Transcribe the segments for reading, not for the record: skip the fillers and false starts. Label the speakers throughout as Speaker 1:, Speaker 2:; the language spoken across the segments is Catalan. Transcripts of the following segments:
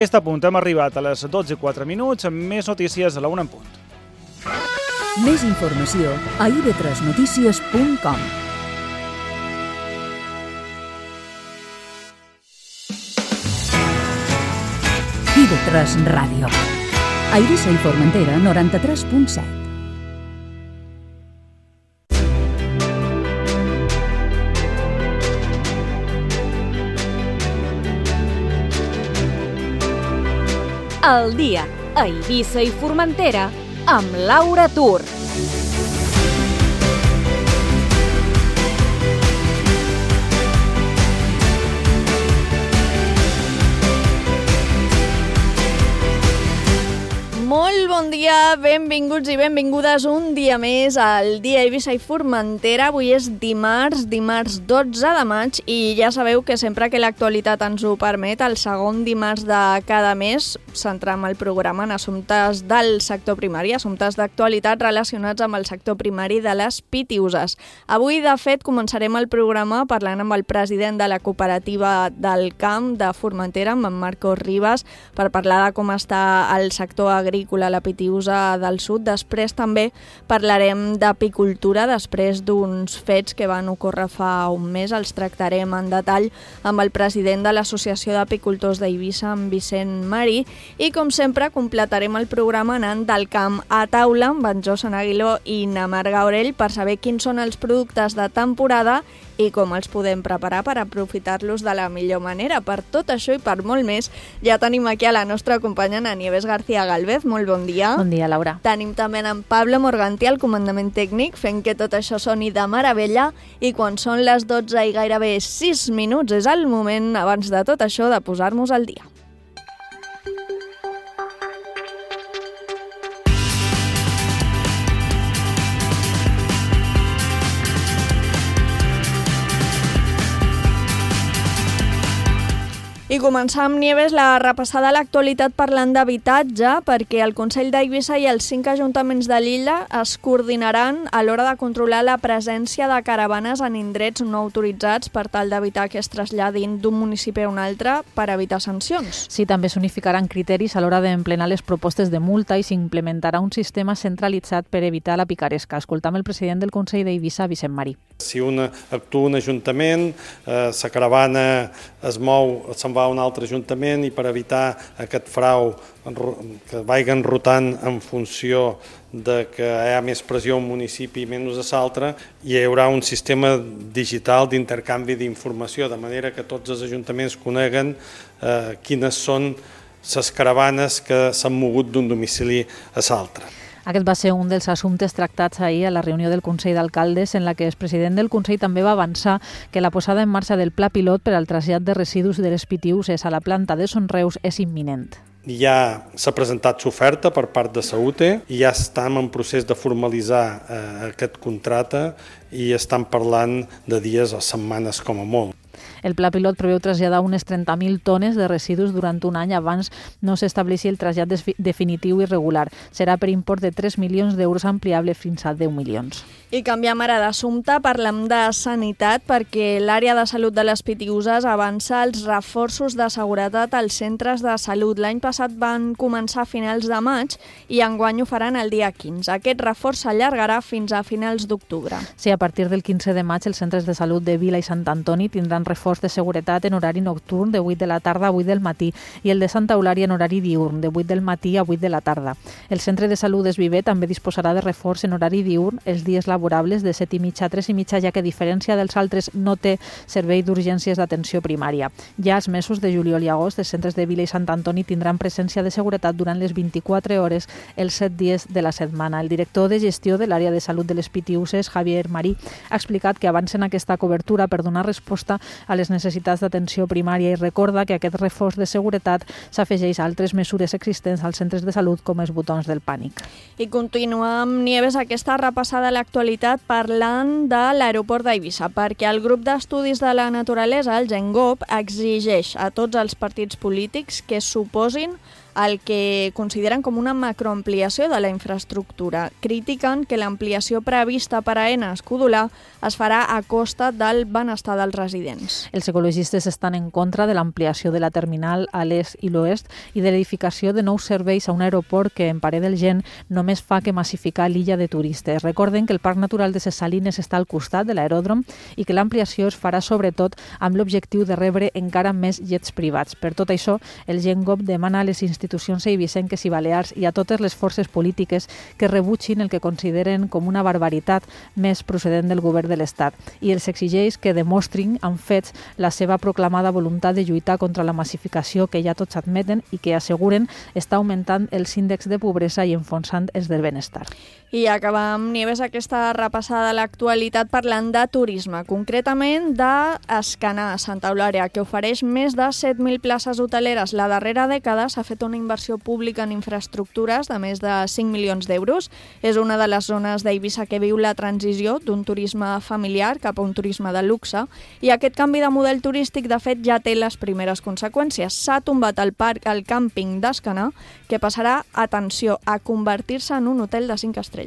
Speaker 1: Aquest punt hem arribat a les 12:04 amb més notícies a la 1 en punt.
Speaker 2: Més informació a ib3notícies.com. IB3 Ràdio. A Eivissa i Formentera, 93.7.
Speaker 3: El dia a Eivissa i Formentera amb Laura Tur. Molt bon dia, benvinguts i benvingudes un dia més al dia Eivissa i Formentera. Avui és dimarts 12 de maig i ja sabeu que sempre que l'actualitat ens ho permet, el segon dimarts de cada mes centram el programa en assumptes del sector primari, assumptes d'actualitat relacionats amb el sector primari de les Pitiuses. Avui, de fet, començarem el programa parlant amb el president de la cooperativa del camp de Formentera, amb en Marcos Ribas, per parlar de com està el sector agrícola a la Pitiusa del Sud. Després també parlarem d'apicultura, després d'uns fets que van ocórrer fa un mes. Els tractarem en detall amb el president de l'Associació d'Apicultors d'Eivissa, en Vicent Marí, i com sempre completarem el programa anant del camp a taula amb en Josan Aguiló i na Mar Gaurell per saber quins són els productes de temporada i com els podem preparar per aprofitar-los de la millor manera. Per tot això i per molt més, ja tenim aquí a la nostra companya Nieves García Galvez. Molt bon dia.
Speaker 4: Bon dia, Laura.
Speaker 3: Tenim també en Pablo Morganti, al comandament tècnic, fent que tot això soni de meravella, i quan són les 12 i gairebé 6 minuts és el moment, abans de tot això, de posar-nos al dia. I començar amb Nieves la repassada a l'actualitat parlant d'habitatge, perquè el Consell d'Eivissa i els 5 ajuntaments de l'illa es coordinaran a l'hora de controlar la presència de caravanes en indrets no autoritzats per tal d'evitar que es traslladin d'un municipi a un altre per evitar sancions.
Speaker 4: Sí, també s'unificaran criteris a l'hora d'emplenar les propostes de multa i s'implementarà un sistema centralitzat per evitar la picaresca. Escoltam el president del Consell d'Eivissa, Vicent Marí.
Speaker 5: Si actua un ajuntament, la caravana es mou, se'n va a un altre ajuntament i per evitar aquest frau que vagin rotant en funció de que hi ha més pressió a un municipi i menys a l'altre, hi haurà un sistema digital d'intercanvi d'informació, de manera que tots els ajuntaments coneguen quines són les caravanes que s'han mogut d'un domicili a l'altre.
Speaker 4: Aquest va ser un dels assumptes tractats ahir a la reunió del Consell d'Alcaldes, en la que el president del Consell també va avançar que la posada en marxa del pla pilot per al trasllat de residus de les Pitiuses a la planta de Son Reus és imminent.
Speaker 5: Ja s'ha presentat l'oferta per part de Saúte i ja estem en procés de formalitzar aquest contracte i estan parlant de dies o setmanes com a molt.
Speaker 4: El pla pilot preveu traslladar unes 30.000 tones de residus durant un any abans no s'estableixi el trasllat definitiu i regular. Serà per import de 3 milions d'euros ampliable fins a 10 milions.
Speaker 3: I canviem ara d'assumpte, parlem de sanitat, perquè l'àrea de salut de les Pitiuses avança els reforços de seguretat als centres de salut. L'any passat van començar a finals de maig i enguany ho faran el dia 15. Aquest reforç s'allargarà fins a finals d'octubre.
Speaker 4: Sí, a partir del 15 de maig els centres de salut de Vila i Sant Antoni tindran reforç de seguretat en horari nocturn de 8 de la tarda a 8 del matí i el de Santa Eulària en horari diurn de 8 del matí a 8 de la tarda. El centre de salut d'Esviver també disposarà de reforç en horari diurn els dies laborables de 7:30 a 3:30, ja que a diferència dels altres no té servei d'urgències d'atenció primària. Ja els mesos de juliol i agost els centres de Vila i Sant Antoni tindran presència de seguretat durant les 24 hores els 7 dies de la setmana. El director de gestió de l'àrea de salut de les Pitiuses, Javier Marí, ha explicat que avancen aquesta cobertura per donar resposta a les necessitats d'atenció primària i recorda que aquest reforç de seguretat s'afegeix a altres mesures existents als centres de salut com els botons del pànic.
Speaker 3: I continuem, Nieves, aquesta repassada a l'actualitat parlant de l'aeroport d'Eivissa, perquè el grup d'estudis de la naturalesa, el GENGOP, exigeix a tots els partits polítics que s'oposin el que consideren com una macroampliació de la infraestructura. Critiquen que l'ampliació prevista per a Aena Escudolar es farà a costa del benestar dels residents.
Speaker 4: Els ecologistes estan en contra de l'ampliació de la terminal a l'est i l'oest i de l'edificació de nous serveis a un aeroport que, en parer del Gent, només fa que massificar l'illa de turistes. Recorden que el Parc Natural de ses Salines està al costat de l'aeròdrom i que l'ampliació es farà sobretot amb l'objectiu de rebre encara més jets privats. Per tot això, el Gent-GOV demana a les institucions eivissenques i balears i a totes les forces polítiques que rebutgin el que consideren com una barbaritat més procedent del govern de l'Estat i els exigeix que demostrin amb fets la seva proclamada voluntat de lluitar contra la massificació que ja tots admeten i que asseguren està augmentant els índexs de pobresa i enfonsant els del benestar.
Speaker 3: I acabam, Nieves, aquesta repassada a l'actualitat parlant de turisme, concretament d'Escanar, Santa Eulària, que ofereix més de 7.000 places hoteleres. La darrera dècada s'ha fet una inversió pública en infraestructures de més de 5 milions d'euros. És una de les zones d'Eivissa que viu la transició d'un turisme familiar cap a un turisme de luxe i aquest canvi de model turístic, de fet, ja té les primeres conseqüències. S'ha tombat el càmping d'Escanar, que passarà, atenció, a convertir-se en un hotel de 5 estrelles.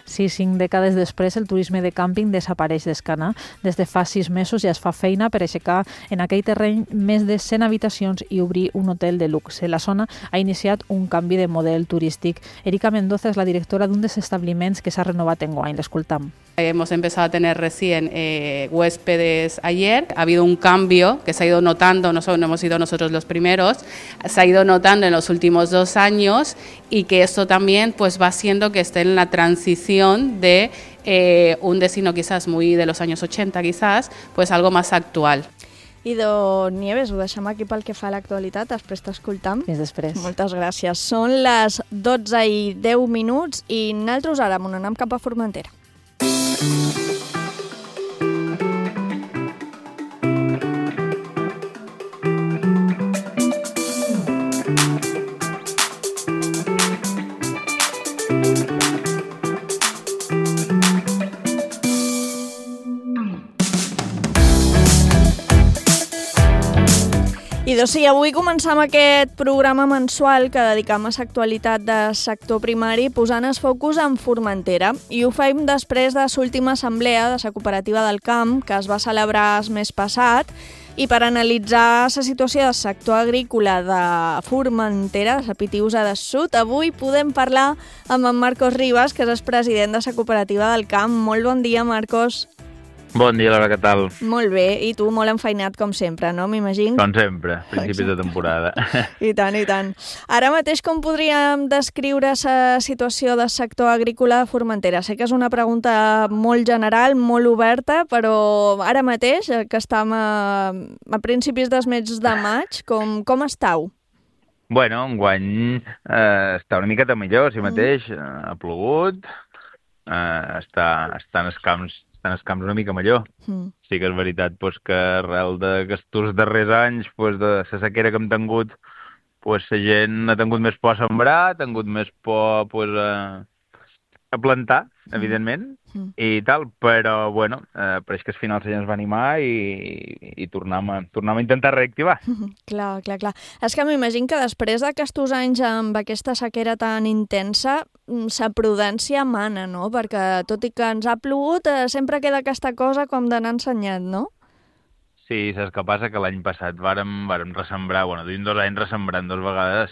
Speaker 4: Sí, 5 dècades després el turisme de càmping desapareix d'Escanar. Des de fa 6 mesos ja es fa feina per aixecar en aquell terreny més de 100 habitacions i obrir un hotel de luxe. La zona ha iniciat un canvi de model turístic. Erika Mendoza és la directora d'un dels establiments que s'ha renovat enguany. L'escoltam.
Speaker 6: Hemos empezado a tener recién huéspedes ayer. Ha habido un cambio que se ha ido notando, no hemos sido nosotros los primeros, se ha ido notando en los últimos 2 años y que esto también pues va haciendo que esté en la transición de un destino quizás muy de los años 80 quizás, pues algo más actual.
Speaker 3: I Nieves, ho deixem aquí pel que fa a l'actualitat, després t'escoltam.
Speaker 4: Fins després.
Speaker 3: Moltes gràcies. Són les 12:10 i nosaltres ara anem cap a Formentera. I sí, avui començam aquest programa mensual que dedicam a l'actualitat del sector primari posant el focus en Formentera i ho fem després de l'última assemblea de la cooperativa del camp que es va celebrar el mes passat i per analitzar la situació del sector agrícola de Formentera, de la Pitiusa del Sud, avui podem parlar amb en Marcos Ribas, que és el president de la cooperativa del camp. Molt bon dia, Marcos.
Speaker 7: Bon dia, Laura, què tal?
Speaker 3: Molt bé, i tu molt enfeinat com sempre, no? M'imagino.
Speaker 7: Com sempre, principis de temporada.
Speaker 3: I tant, i tant. Ara mateix com podríem descriure la situació del sector agrícola de Formentera? Sé que és una pregunta molt general, molt oberta, però ara mateix, que estem a principis del mes de maig, com estàu?
Speaker 7: Bueno, enguany està una miqueta millor, si mateix. Ha plogut, estan els camps una mica millor. Sí que és veritat que arrel d'aquests darrers anys, de la sequera que hem tingut, la gent ha tingut més por a sembrar, ha tingut més por a plantar, evidentment, i tal, però, bueno, pareix que al final la gent es va animar i tornem a intentar reactivar.
Speaker 3: Clar. És que m'imagino que després d'aquests anys amb aquesta sequera tan intensa, la prudència mana, no? Perquè tot i que ens ha plogut, sempre queda aquesta cosa com d'anar ensenyat, no?
Speaker 7: Sí, saps què passa? Que l'any passat vàrem ressembrar, duim 2 anys ressembrant 2 vegades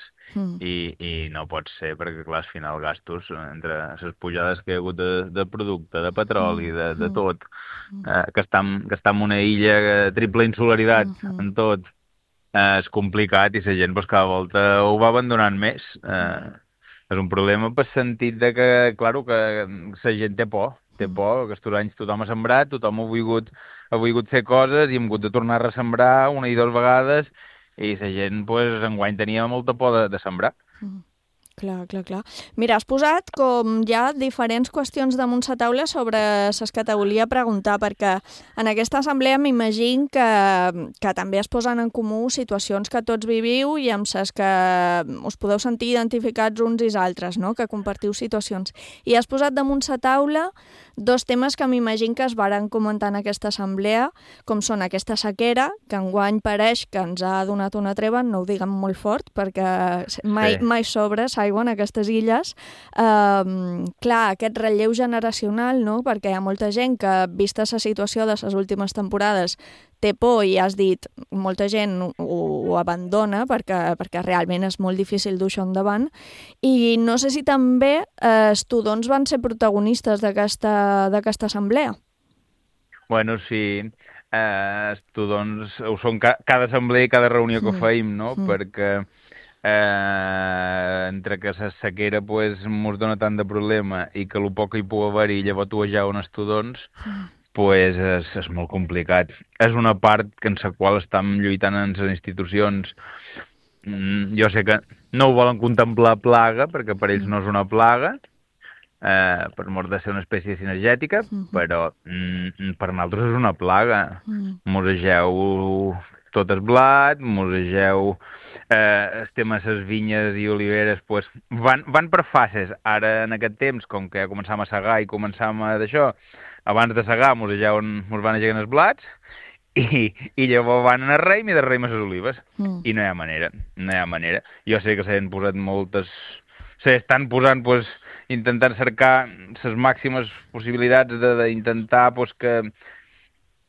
Speaker 7: i no pot ser, perquè clar, al final gastos, entre les pujades que hi ha hagut de producte, de petroli, de tot, que està en una illa triple insularitat en tot, és complicat i la gent cada volta ho va abandonant més. És un problema per sentit de que, clar, que la gent té por, que aquests anys tothom ha sembrat, tothom ha volgut fer coses i hem hagut de tornar a ressembrar 1 i 2 vegades i la gent, enguany tenia molta por de sembrar.
Speaker 3: Clar. Mira, has posat com ja diferents qüestions damunt la taula sobre les que te volia preguntar, perquè en aquesta assemblea m'imagino que també es posen en comú situacions que tots viviu i amb les que us podeu sentir identificats uns i els altres, no? Que compartiu situacions. I has posat damunt la taula dos temes que m'imagino que es varen comentar en aquesta assemblea, com són aquesta sequera, que enguany pareix que ens ha donat una treva, no ho diguem molt fort, perquè mai sobre s'aigua en aquestes illes. Clar, aquest relleu generacional, no? Perquè hi ha molta gent que, vista la situació de les últimes temporades, té por i has dit, molta gent ho abandona perquè realment és molt difícil dur això endavant. I no sé si també els tudons van ser protagonistes d'aquesta assemblea.
Speaker 7: Bueno, sí, els tudons ho són cada assemblea i cada reunió que feim, no? Perquè entre que la sequera pues, mos dona tant de problema i que el poc que hi pugui haver-hi llavors tu jauen els tudons, pues és molt complicat. És una part en la qual estem lluitant en les institucions. Jo sé que no ho volen contemplar plaga, perquè per ells no és una plaga, per mort de ser una espècie sinergètica, però per nosaltres és una plaga. Mosegeu tot el blat, mosegeu el tema de les vinyes i oliveres, pues, van per fases. Ara, en aquest temps, com que ja començam a segar i començam a d'això, abans de segar mos van aixecant els blats i llavors van al raïm i del raïm a les olives. I no hi ha manera. Jo sé que s'han posat s'estan posant, pues, intentant cercar les màximes possibilitats d'intentar pues, que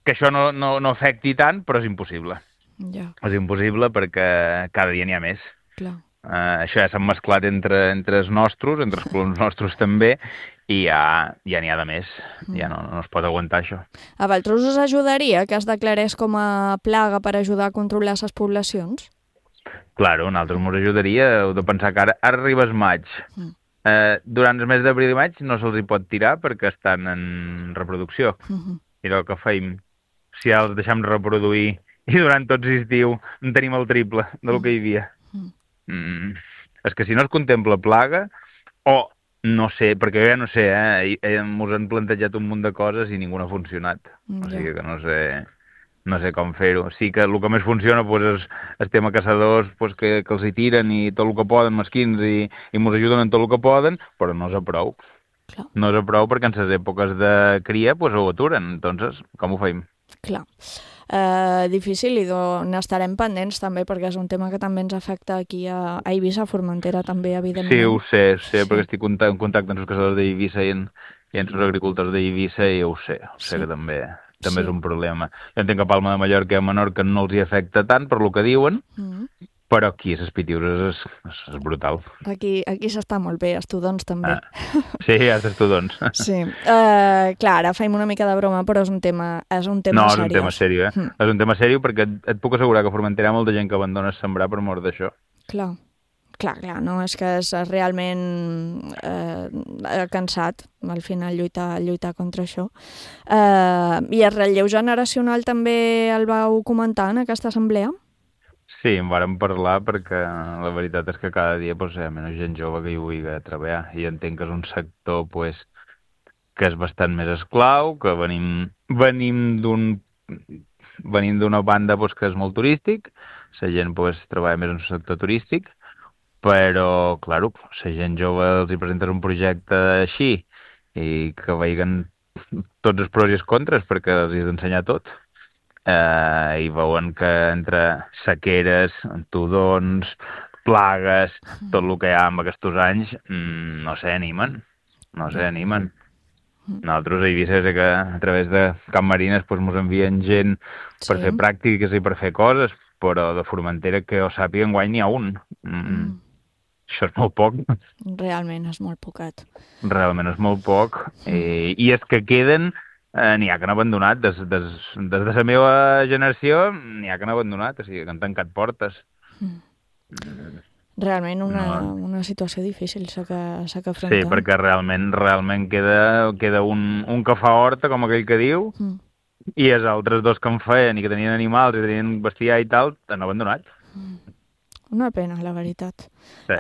Speaker 7: això no afecti tant, però és impossible.
Speaker 3: Ja.
Speaker 7: És impossible perquè cada dia n'hi ha més.
Speaker 3: Clar.
Speaker 7: Això ja s'ha mesclat entre els nostres, entre els colons nostres també, i ja n'hi ha de més. Ja no es pot aguantar això.
Speaker 3: A vosaltres us ajudaria que es declarés com a plaga per ajudar a controlar les poblacions?
Speaker 7: Claro, a nosaltres ens ajudaria. Heu de pensar que ara arriba el maig. Durant el mes d'abril i maig no se'ls hi pot tirar perquè estan en reproducció. I el que feim, si ja els deixem reproduir i durant tot l'estiu en tenim el triple del que hi havia. És que si no es contempla plaga, o no sé, perquè jo ja no sé, ens han plantejat un munt de coses i ningú no ha funcionat. O sigui que no sé com fer-ho. Sí que el que més funciona pues, és el tema caçadors pues, que els hi tiren i tot el que poden, mesquins, i ens ajuden en tot el que poden, però no és a prou.
Speaker 3: Clar.
Speaker 7: No és a prou perquè en les èpoques de cria pues, ho aturen. Entonces, com ho feim?
Speaker 3: Clar. Difícil i n'estarem pendents també perquè és un tema que també ens afecta aquí a Eivissa, a Formentera també, evidentment.
Speaker 7: Sí, ho sé, perquè estic en contacte amb els caçadors d'Eivissa i amb els agricultors d'Eivissa i ho sé que també és un problema. Jo entenc que a Palma de Mallorca i a Menorca no els hi afecta tant per lo que diuen, però aquí a les Pitiures és brutal.
Speaker 3: Aquí s'està molt bé, els tudons també.
Speaker 7: Sí, els tudons.
Speaker 3: Sí. Clar, ara faim una mica de broma, però és un tema seriós.
Speaker 7: No, és un tema seriós, És un tema seriós perquè et puc assegurar que a Formentera hi ha molta gent que abandona sembrar per mort d'això.
Speaker 3: Clar, no? És que és realment cansat, al final, lluitar contra això. I el relleu generacional també el vau comentar en aquesta assemblea?
Speaker 7: Sí, en vàrem parlar perquè la veritat és que cada dia hi ha menys gent jove que hi vulgui treballar i entenc que és un sector que és bastant més esclau, que venim d'una banda que és molt turístic, la gent treballa més en el sector turístic, però, clar, la gent jove els hi presentes un projecte així i que vegin tots els pros i els contres perquè els hi has d'ensenyar tot. I veuen que entre sequeres, tudons, plagues, tot el que hi ha en aquests anys, no s'animen. Nosaltres a Eivissa sé que a través de Camp Marines ens envien gent per fer pràctiques i per fer coses, però de Formentera que ho sàpiga enguany n'hi ha un. Això és molt poc.
Speaker 3: Realment és molt pocat.
Speaker 7: Realment és molt poc. I és que queden... n'hi ha que han abandonat, des de la meva generació n'hi ha que han abandonat, o sigui que han tancat portes.
Speaker 3: Realment una situació difícil s'ha que afrontar.
Speaker 7: Sí, perquè realment queda un que fa horta, com aquell que diu, i els altres dos que en feien i que tenien animals i tenien bestiar i tal, han abandonat.
Speaker 3: Una pena, la veritat.
Speaker 7: Sí.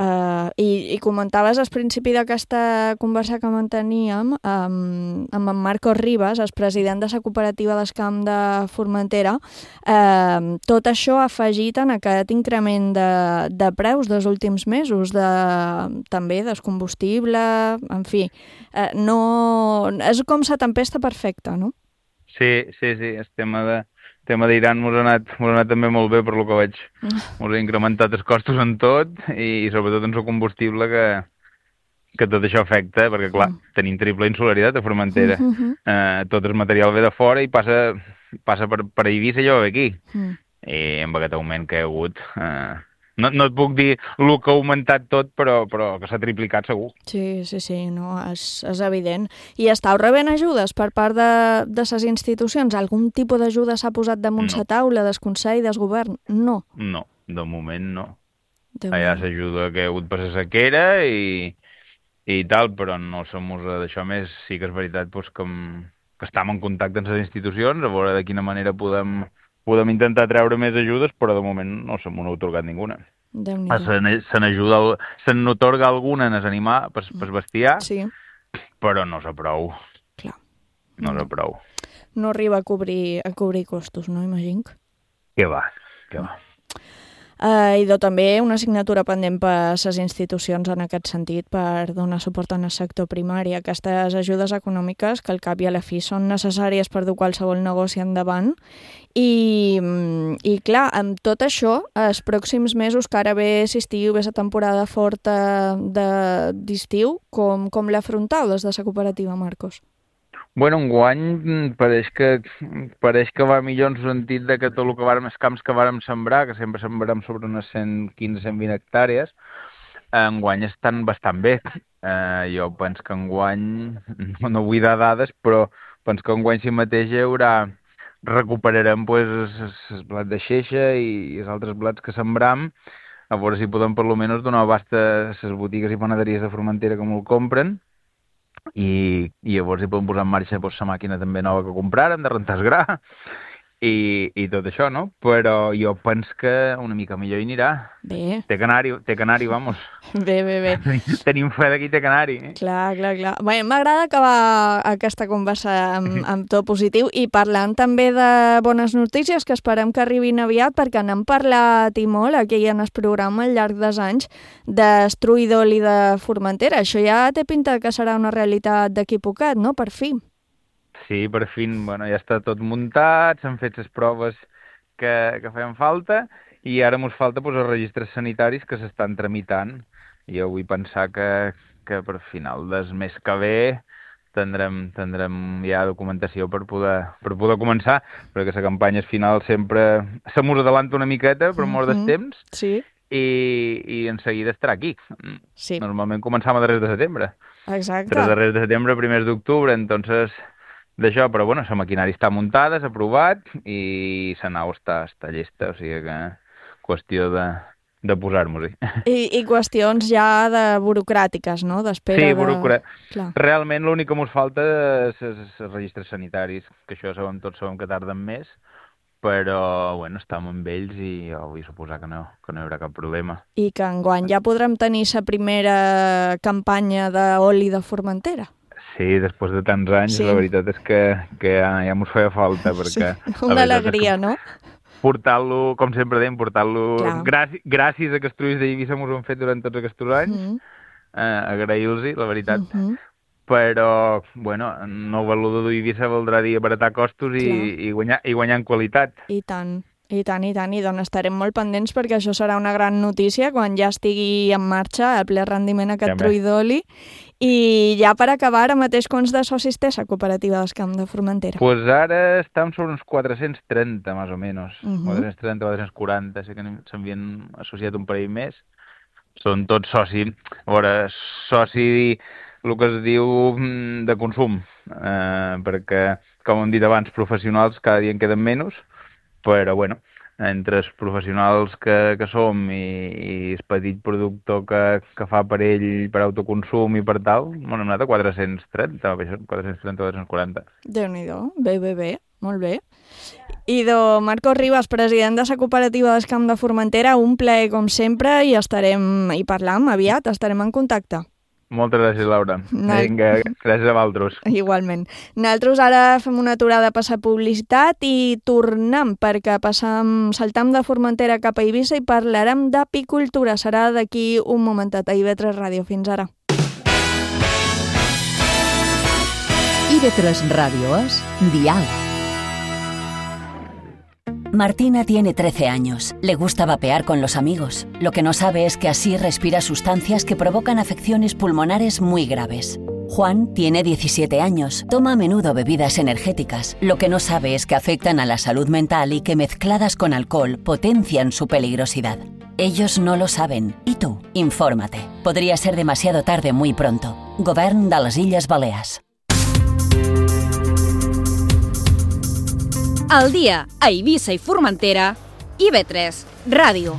Speaker 3: I comentaves al principi d'aquesta conversa que manteníem amb en Marcos Ribas, el president de la cooperativa d'Escamp de Formentera, tot això afegit en aquest increment de preus dels últims mesos, també del combustible, en fi. És com la tempesta perfecta, no?
Speaker 7: Sí, el tema d'Iran mos ha anat també molt bé per lo que veig. Mos ha incrementat els costos en tot i sobretot en el combustible que tot això afecta, perquè clar, tenim triple insularitat a Formentera. Tot el material ve de fora i passa per Eivissa i jo ve aquí. I amb aquest augment que hi ha hagut... No et puc dir el que ha augmentat tot, però que s'ha triplicat segur.
Speaker 3: Sí, no, és evident. I estàu rebent ajudes per part de les institucions? Algun tipus d'ajuda s'ha posat damunt la taula, del Consell, del Govern? No. No,
Speaker 7: de moment no. Hi ha l'ajuda que hi ha hagut per la sequera i tal, però no som d'això més. Sí que és veritat que estem en contacte amb les institucions, a veure de quina manera podem intentar treure més ajudes, però de moment no se m'ha atorgat ninguna. Se n'atorga alguna en els animals, per bestiar, sí. Però no és prou.
Speaker 3: Clar.
Speaker 7: No és prou.
Speaker 3: No arriba a cobrir costos, no, imagino?
Speaker 7: Què va.
Speaker 3: I també una assignatura pendent per les institucions en aquest sentit per donar suport al sector primari. Aquestes ajudes econòmiques que al cap i a la fi són necessàries per dur qualsevol negoci endavant i clar, amb tot això, els pròxims mesos que ara ve l'estiu, ve la temporada forta d'estiu, com l'afrontau des de la cooperativa, Marcos?
Speaker 7: Bueno, enguany pareix que va millor en el sentit de que tot el que els camps que vàrem sembrar, que sempre sembrem sobre unes 115-120 hectàrees, enguany estan bastant bé. Jo penso que enguany, no vull dar dades, però penso que enguany si mateix recuperarem els blats de xeixa i els altres blats que sembram, a veure si podem per almenys donar abast a les botigues i panaderies de Formentera que m'ho compren, i llavors hi podem posar en marxa la màquina també nova que compràrem, de rentar el gra, i tot això, no? Però jo penso que una mica millor hi anirà.
Speaker 3: Bé.
Speaker 7: Té canari, vamos.
Speaker 3: Bé.
Speaker 7: Tenim fe d'aquí té canari.
Speaker 3: Clar. Bé, m'agrada acabar aquesta conversa amb to positiu i parlant també de bones notícies que esperem que arribin aviat, perquè n'hem parlat i molt aquí en el programa al llarg dels anys d'Estruï d'oli de Formentera. Això ja té pinta que serà una realitat d'aquí poquet, no? Per fi.
Speaker 7: Sí, per fi, ja està tot muntat, s'han fet les proves que feien falta i ara ens falta els registres sanitaris que s'estan tramitant. Jo vull pensar que per final del mes que ve tindrem ja documentació per poder començar, perquè la campanya final sempre se mos adelanta una miqueta per mort del temps,
Speaker 3: sí.
Speaker 7: I en seguida estarà aquí.
Speaker 3: Sí.
Speaker 7: Normalment començam a darrers de setembre.
Speaker 3: Exacte.
Speaker 7: Darrers de setembre, primers d'octubre, entonces... d'això, però bueno, la maquinària està muntada, s'ha aprovat i la nau està llesta, o sigui que qüestió de posar-nos-hi. I
Speaker 3: qüestions ja de burocràtiques, no? D'espera.
Speaker 7: Sí, burocràtiques. Realment l'únic que ens falta és els registres sanitaris, que això tots sabem que tarden més, però bueno, estem amb ells i jo vull suposar que no hi haurà cap problema.
Speaker 3: I que enguany ja podrem tenir la primera campanya d'oli de Formentera.
Speaker 7: Sí, després de tants anys, sí. La veritat és que ja m'ho feia falta, perquè...
Speaker 3: Sí, una alegria, no?
Speaker 7: Portar-lo, com sempre dèiem, gràcies a que Estruïs d'Eivissa m'ho han fet durant tots aquests anys, agrair-los-hi, la veritat. Però, bueno, no valudo d'Eivissa voldrà dir abaratar costos i guanyar en qualitat.
Speaker 3: I tant. I doncs estarem molt pendents perquè això serà una gran notícia quan ja estigui en marxa el ple rendiment aquest trull d'oli. I ja per acabar, ara mateix quants de socis té la cooperativa d'Escamp de Formentera?
Speaker 7: Pues ara estem sobre uns 430, més o menys. 430, 440, sé que s'havien associat un parell més. Són tots soci, el que es diu de consum, perquè, com hem dit abans, professionals cada dia en queden menys, però bueno, entre els professionals que som i el petit productor que fa per ell per autoconsum i per tal, hem anat a 430, 440.
Speaker 3: Déu-n'hi-do, bé. Molt bé. Idò Marcos Ribas, president de la cooperativa d'Escamp de Formentera, un plaer com sempre i parlam aviat, estarem en contacte.
Speaker 7: Moltes gràcies, Laura. Vinga, gràcies a vosaltres.
Speaker 3: Igualment. Nosaltres ara fem una aturada a passar publicitat i tornem perquè saltam de Formentera cap a Eivissa i parlarem d'apicultura. Serà d'aquí un momentet a IB3 Ràdio. Fins ara.
Speaker 2: IB3 Radio es Dial.
Speaker 8: Martina tiene 13 años. Le gusta vapear con los amigos. Lo que no sabe es que así respira sustancias que provocan afecciones pulmonares muy graves. Juan tiene 17 años. Toma a menudo bebidas energéticas. Lo que no sabe es que afectan a la salud mental y que mezcladas con alcohol potencian su peligrosidad. Ellos no lo saben. ¿Y tú? Infórmate. Podría ser demasiado tarde muy pronto. Govern de les Illes Balears.
Speaker 9: Al dia a Eivissa i Formentera, IB3 Ràdio.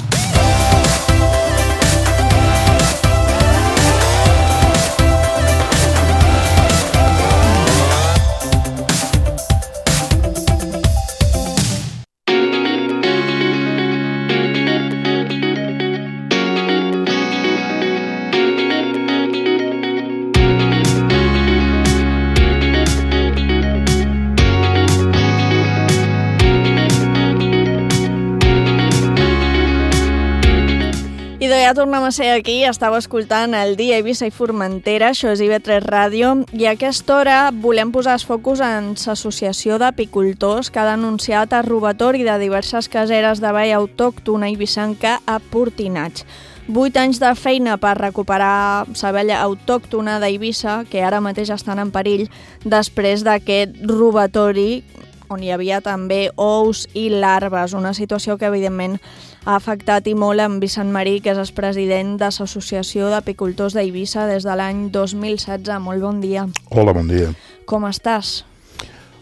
Speaker 3: Ja tornem a ser aquí, estava escoltant el dia Eivissa i Formentera, això és IB3 Ràdio, i a aquesta hora volem posar els focus en l'Associació d'Apicultors que ha denunciat el robatori de diverses caseres de vall autòctona eivessanca a Portinats. 8 anys de feina per recuperar la vella autòctona d'Eivissa, que ara mateix estan en perill després d'aquest robatori, on hi havia també ous i larves, una situació que evidentment ha afectat i molt en Vicent Marí, que és el president de l'Associació d'Apicultors d'Eivissa des de l'any 2016. Molt bon dia.
Speaker 10: Hola, bon dia.
Speaker 3: Com estàs?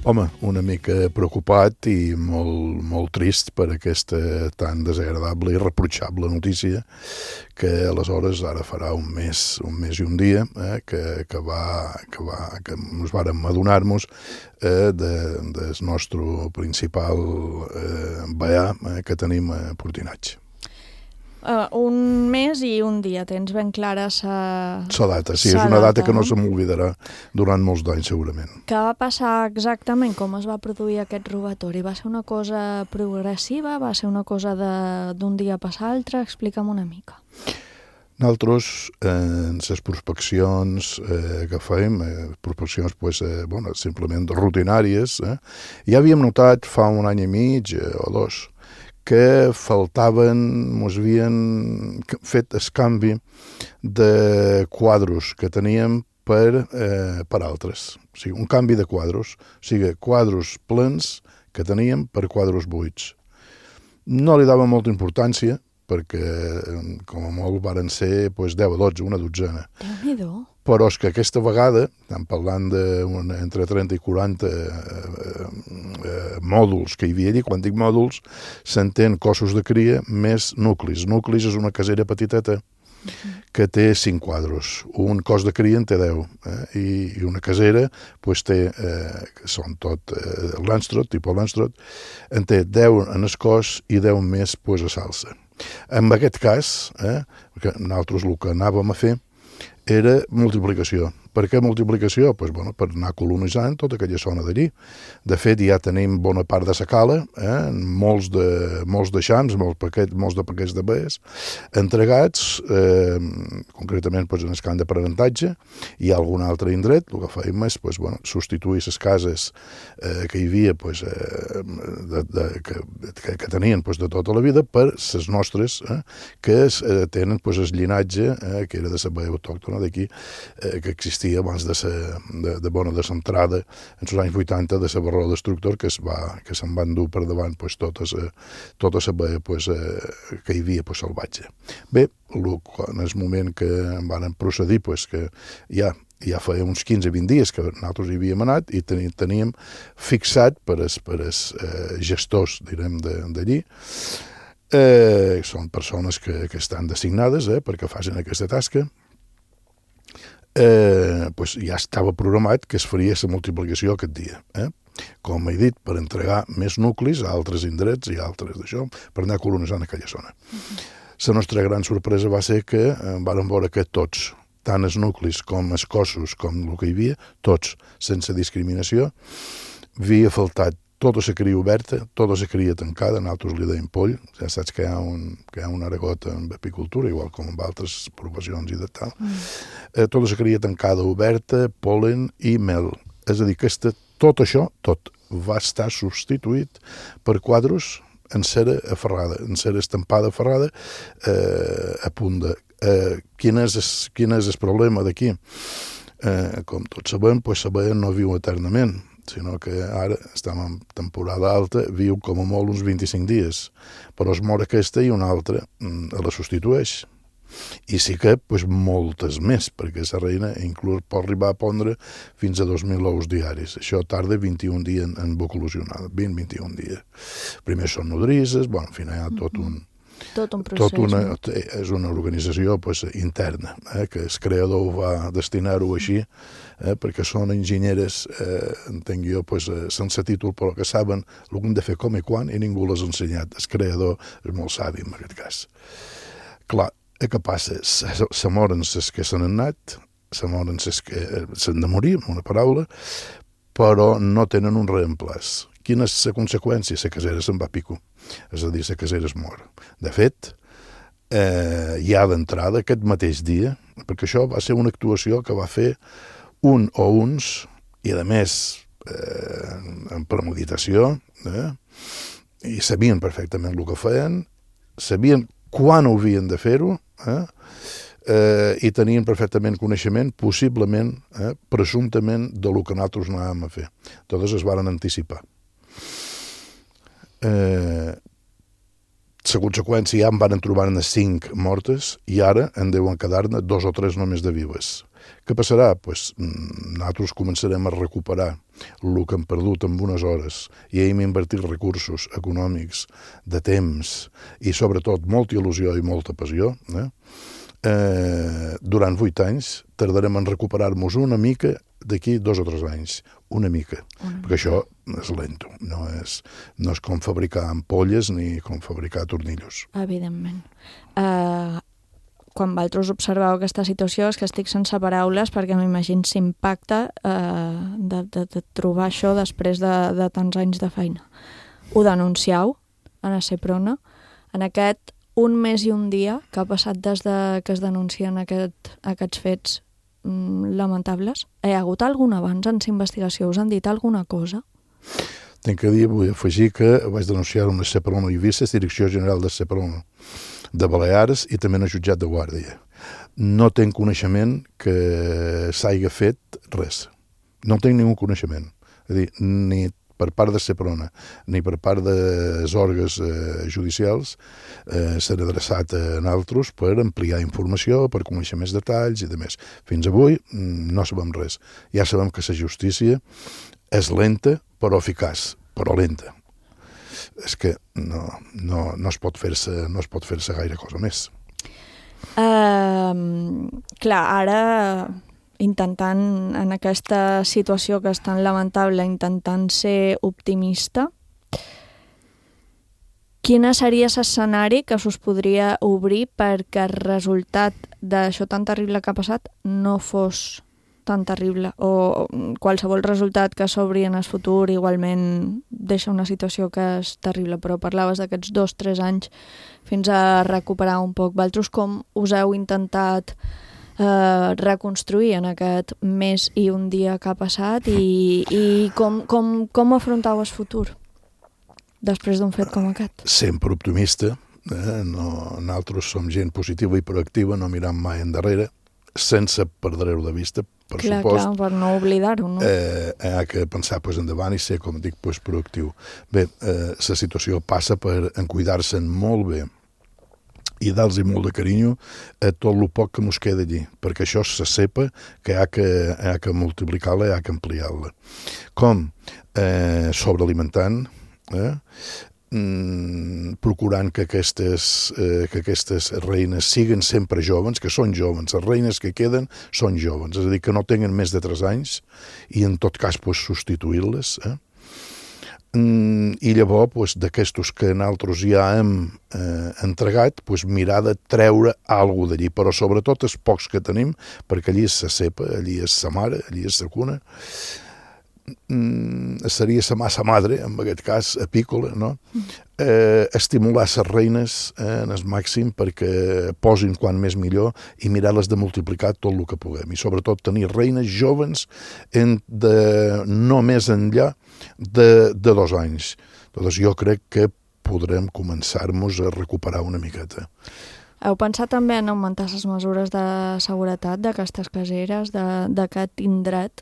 Speaker 10: Home, una mica preocupat i molt trist per aquesta tan desagradable i reprotxable notícia que aleshores ara farà un mes i un dia que ens vàrem adonar-nos del nostre principal veà que tenim a Portinats.
Speaker 3: Un mes i un dia, tens ben clara
Speaker 10: la data, sí, és una data que no se m'oblidarà durant molts d'anys segurament.
Speaker 3: Què va passar exactament? Com es va produir aquest robatori? Va ser una cosa progressiva? Va ser una cosa d'un dia a passar l'altre? Explica'm una mica.
Speaker 10: Nosaltres, en les prospeccions que fèiem, prospeccions simplement rutinàries, ja havíem notat fa un any i mig o dos que ens havien fet el canvi de quadros que teníem per altres. O sigui, un canvi de quadros. O sigui, quadros plens que teníem per quadros buits. No li dava molta importància, perquè com a molt varen ser 10 o 12, una dotzena.
Speaker 3: Déu-n'hi-do.
Speaker 10: Però és que aquesta vegada, estem parlant d'entre 30 i 40 mòduls que hi havia allí. Quan dic mòduls, s'entén cossos de cria més nuclis. Nuclis és una casera petiteta que té 5 quadros. Un cos de cria en té 10. I una casera té, que són tot Lanstroth, tipus Lanstroth, en té 10 en el cos i 10 més a salsa. En aquest cas, perquè nosaltres el que anàvem a fer era multiplicació. Per què multiplicació? Per anar colonitzant tota aquella zona d'allí. De fet, ja tenim bona part de la cala, molts de xams, molts de paquets de baies, entregats, concretament en el camp d'aprenentatge, i algun altre indret. El que fèiem és substituir les cases que hi havia, que tenien de tota la vida, per les nostres, que tenen el llinatge, que era de la baia autòctona d'aquí, que existia abans de l'entrada, en els anys 80, de la barró destructor, que se'n van dur per davant tota la baia que hi havia salvatge. Bé, en el moment que van procedir, que ja feia uns 15-20 dies que nosaltres hi havíem anat i teníem fixat per els gestors, direm, d'allí. Són persones que estan designades perquè facin aquesta tasca. pues ja estava programat que es faria la multiplicació aquest dia. Com he dit, per entregar més nuclis a altres indrets i altres d'això, per anar colonitzant aquella zona. La nostra gran sorpresa va ser que vàrem veure que tots, tant els nuclis com els cossos, com el que hi havia, tots, sense discriminació, havia faltat tota la cria oberta, tota la cria tancada, nosaltres li deim poll, ja saps que hi ha un aragot en apicultura, igual com en altres professions i de tal. Tota la cria tancada, oberta, polen i mel. És a dir, que tot això, tot, va estar substituït per quadros en cera aferrada, en cera estampada aferrada a punt de... Quin és el problema d'aquí? Com tots sabem, la no viu eternament, sinó que ara estem en temporada alta, viu com a molt uns 25 dies, però es mor aquesta i una altra la substitueix. I sí que moltes més, perquè la reina inclús pot arribar a pondre fins a 2.000 ous diaris. Això tarda 21 dies en evolucionar, 20-21 dies. Primer són nodrisses, al final hi ha tot un procés. És una organització interna, que el creador va destinar-ho així, perquè són enginyeres, entenc jo, sense títol, però que saben el que han de fer com i quan, i ningú les ha ensenyat. El creador és molt savi en aquest cas. Clar, què passa? Se moren les que s'han anat, se moren les que s'han de morir, amb una paraula, però no tenen un reemplaç. Quina és la conseqüència? La casera se'n va a pico. És a dir, la casera es mor. De fet, ja d'entrada, aquest mateix dia, perquè això va ser una actuació que va fer un o uns, i a més en premeditació, i sabien perfectament el que feien, sabien quan ho havien de fer-ho, i tenien perfectament coneixement, possiblement, presumptament, de lo que nosaltres anàvem a fer. Totes es varen anticipar. La conseqüència ja en van trobar-ne 5 mortes i ara en deuen quedar-ne 2 o 3 només de vives. Què passarà? Nosaltres començarem a recuperar el que hem perdut en unes hores i hem invertit recursos econòmics, de temps i sobretot molta il·lusió i molta passió. Durant 8 anys tardarem en recuperar-nos una mica d'aquí 2 o 3 anys. Una mica. Perquè això és lento. No és com fabricar ampolles ni com fabricar tornillos.
Speaker 3: Evidentment. Quan vosaltres observeu aquesta situació és que estic sense paraules perquè m'imagino l'impacte de trobar això després de tants anys de feina. Ho denuncieu a la Seprona en aquest 1 mes i 1 dia que ha passat des que es denuncien aquests fets lamentables. Hi ha hagut algun avanç en la investigació? Us han dit alguna cosa?
Speaker 10: Tinc que dir, vull afegir que vaig denunciar una Seprona i Eivissa, Direcció General de Seprona de Balears i també en el jutjat de Guàrdia. No tinc coneixement que s'hagi fet res. No tinc ningú coneixement. És a dir, ni per part de Seprona ni per part dels òrgans judicials s'han adreçat a nosaltres per ampliar informació, per conèixer més detalls i de més. Fins avui no sabem res. Ja sabem que la justícia és lenta però eficaç, però lenta. És que no es pot fer-se gaire cosa més.
Speaker 3: Clar, ara intentant, en aquesta situació que és tan lamentable, intentant ser optimista, quin seria l'escenari que s'us podria obrir perquè el resultat d'això tan terrible que ha passat no fos tan terrible, o qualsevol resultat que s'obri en el futur igualment deixa una situació que és terrible, però parlaves d'aquests 2-3 anys fins a recuperar un poc. Vosaltres com us heu intentat reconstruir en aquest mes i 1 dia que ha passat i com afrontau el futur després d'un fet com aquest?
Speaker 10: Sempre optimista, nosaltres som gent positiva i proactiva, no miram mai endarrere, sense perdre-ho de vista, per supost.
Speaker 3: Clar, per no oblidar-ho, no?
Speaker 10: Hi ha que pensar endavant i ser, com dic, proactiu. Bé, la situació passa per cuidar-se'n molt bé i dar-los molt de carinyo a tot el poc que ens queda allí, perquè això se sepa que hi ha que multiplicar-la i hi ha que ampliar-la. Com? Sobrealimentant, procurant que aquestes reines siguin sempre joves, que són joves, les reines que queden són joves, és a dir, que no tenen més de 3 anys i en tot cas substituir-les. I llavors d'aquestos que nosaltres ja hem entregat, mirar de treure alguna d'allí, però sobretot els pocs que tenim, perquè allí és la cepa, allí és la mare, allí és la cuna, seria la massa madre, en aquest cas apícola, no? Estimular les reines en el màxim perquè posin quan més millor i mirar-les de multiplicar tot el que puguem, i sobretot tenir reines joves no més enllà de 2 anys. Doncs jo crec que podrem començar-nos a recuperar una miqueta.
Speaker 3: Heu pensat també en augmentar les mesures de seguretat d'aquestes caseres, d'aquest indret?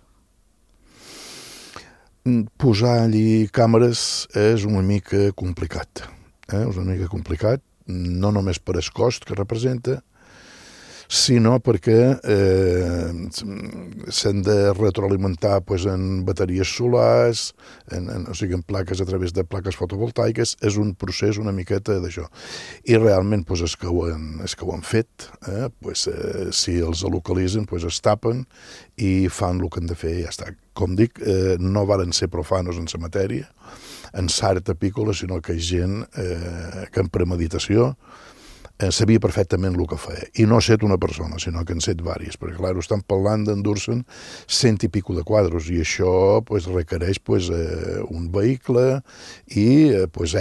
Speaker 10: Posar allí càmeres és una mica complicat. És una mica complicat, no només per el cost que representa, sinó perquè s'han de retroalimentar en bateries solars, o sigui, en plaques a través de plaques fotovoltaiques. És un procés una miqueta d'això. I realment els que ho han fet, si els localitzen, es tapen i fan el que han de fer i ja està. Com dic, no varen ser profanos en la matèria, en l'art apícola, sinó que és gent que en premeditació sabia perfectament el que feia. I no ha set una persona, sinó que han set diverses, perquè clar, estan parlant d'endur-se'n 100 i pico de quadros, i això requereix un vehicle i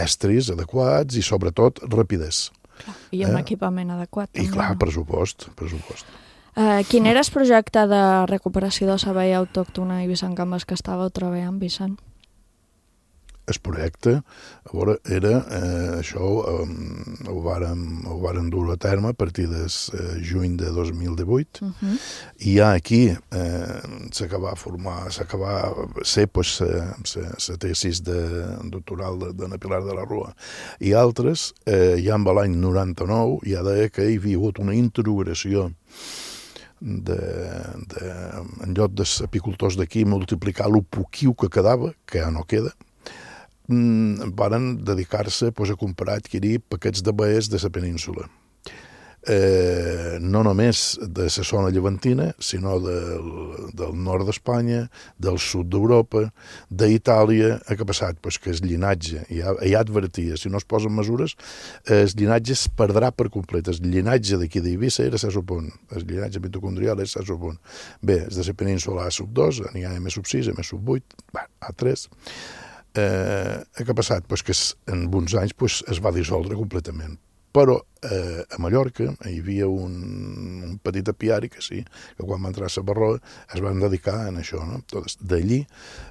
Speaker 10: estris adequats i sobretot rapidesa.
Speaker 3: I un equipament adequat.
Speaker 10: I clar, pressupost.
Speaker 3: Quin era el projecte de recuperació de la veia autòctona i Vicent Gambes que estàveu treballant, Vicent?
Speaker 10: El projecte, a veure, era això, ho varen dur a terme a partir del juny de 2018, i ja aquí s'acaba ser la tesis doctoral de Pilar de la Rua i altres, ja amb l'any 99 ja deia que hi havia hagut una introgració en lloc dels apicultors d'aquí multiplicar el poquiu que quedava, que ja no queda, varen dedicar-se a comprar, adquirir paquets d'abelles de la península. No només de la zona llevantina, sinó del nord d'Espanya, del sud d'Europa, d'Itàlia. Què ha passat? Que el llinatge, ja advertia, si no es posen mesures, el llinatge es perdrà per complet. El llinatge d'aquí d'Eivissa era sub-1, el llinatge mitocondrial és sub-1. Bé, el de la península sub-2, n'hi ha sub-6, sub-8, A3. Què ha passat? Que en uns anys es va dissoldre completament. Però a Mallorca hi havia un petit apiari que sí, que quan va entrar a la Barroa es van dedicar a això. D'allí,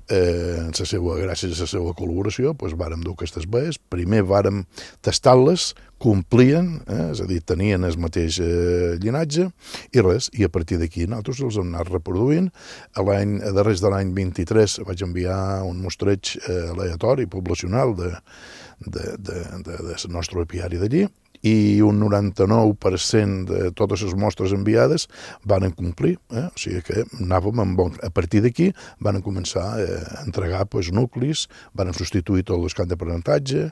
Speaker 10: gràcies a la seva col·laboració, vàrem dur aquestes baies. Primer vàrem tastar-les, complien, és a dir, tenien el mateix llinatge i res, i a partir d'aquí nosaltres els hem anat reproduint. A darrers de l'any 23 vaig enviar un mostreig aleatori, poblacional del nostre apiari d'allí, i un 99% de totes les mostres enviades van complir, o sigui que anàvem a partir d'aquí van començar a entregar nuclis, van substituir tots els camps d'aprenentatge,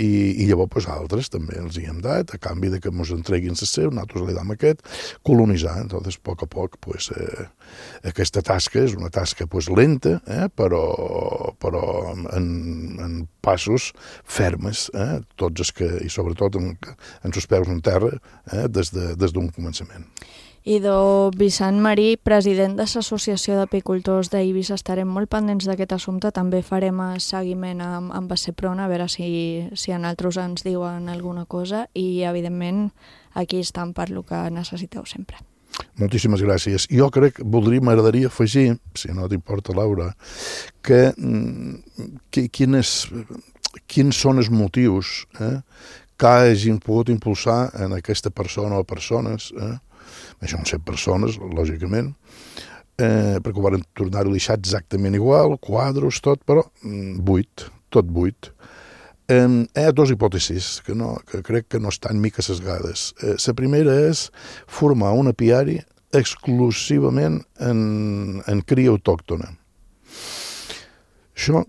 Speaker 10: i llavors altres també els hi hem dat, a canvi de que ens entreguin el seu, nosaltres li dam aquest, colonitzar. Entonces, a poc, aquesta tasca és una tasca lenta, però en passos fermes, tots els que, i sobretot en els peus en terra, des d'un començament.
Speaker 3: I Vicent Marí, president de l'Associació d'Apicultors d'Eivissa, estarem molt pendents d'aquest assumpte. També farem seguiment amb Seprona, a veure si en altres ens diuen alguna cosa, i evidentment aquí estan per el que necessiteu sempre.
Speaker 10: Moltíssimes gràcies. Jo m'agradaria afegir, si no t'importa, Laura, que quins són els motius que hagin pogut impulsar en aquesta persona o persones, això no sé, persones, lògicament, perquè ho van tornar-ho a deixar exactament igual, quadros, tot, però tot buit. Hi ha dues hipòtesis que crec que no estan mica sesgades. La primera és formar un apiari exclusivament en cria autòctona. Això,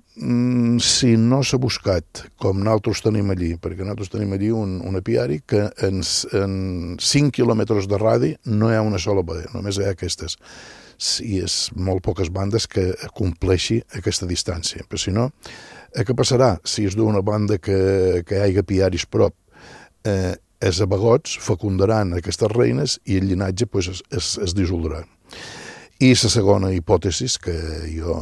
Speaker 10: si no s'ha buscat, com nosaltres tenim allí, perquè nosaltres tenim allí un apiari que en 5 quilòmetres de radi no hi ha una sola boda, només hi ha aquestes. I és molt poques bandes que compleixi aquesta distància. Però si no, què passarà? Si és d'una banda que hi hagi apiaris prop, els abagots fecundaran aquestes reines i el llinatge es dissoldrà. I la segona hipòtesi, que jo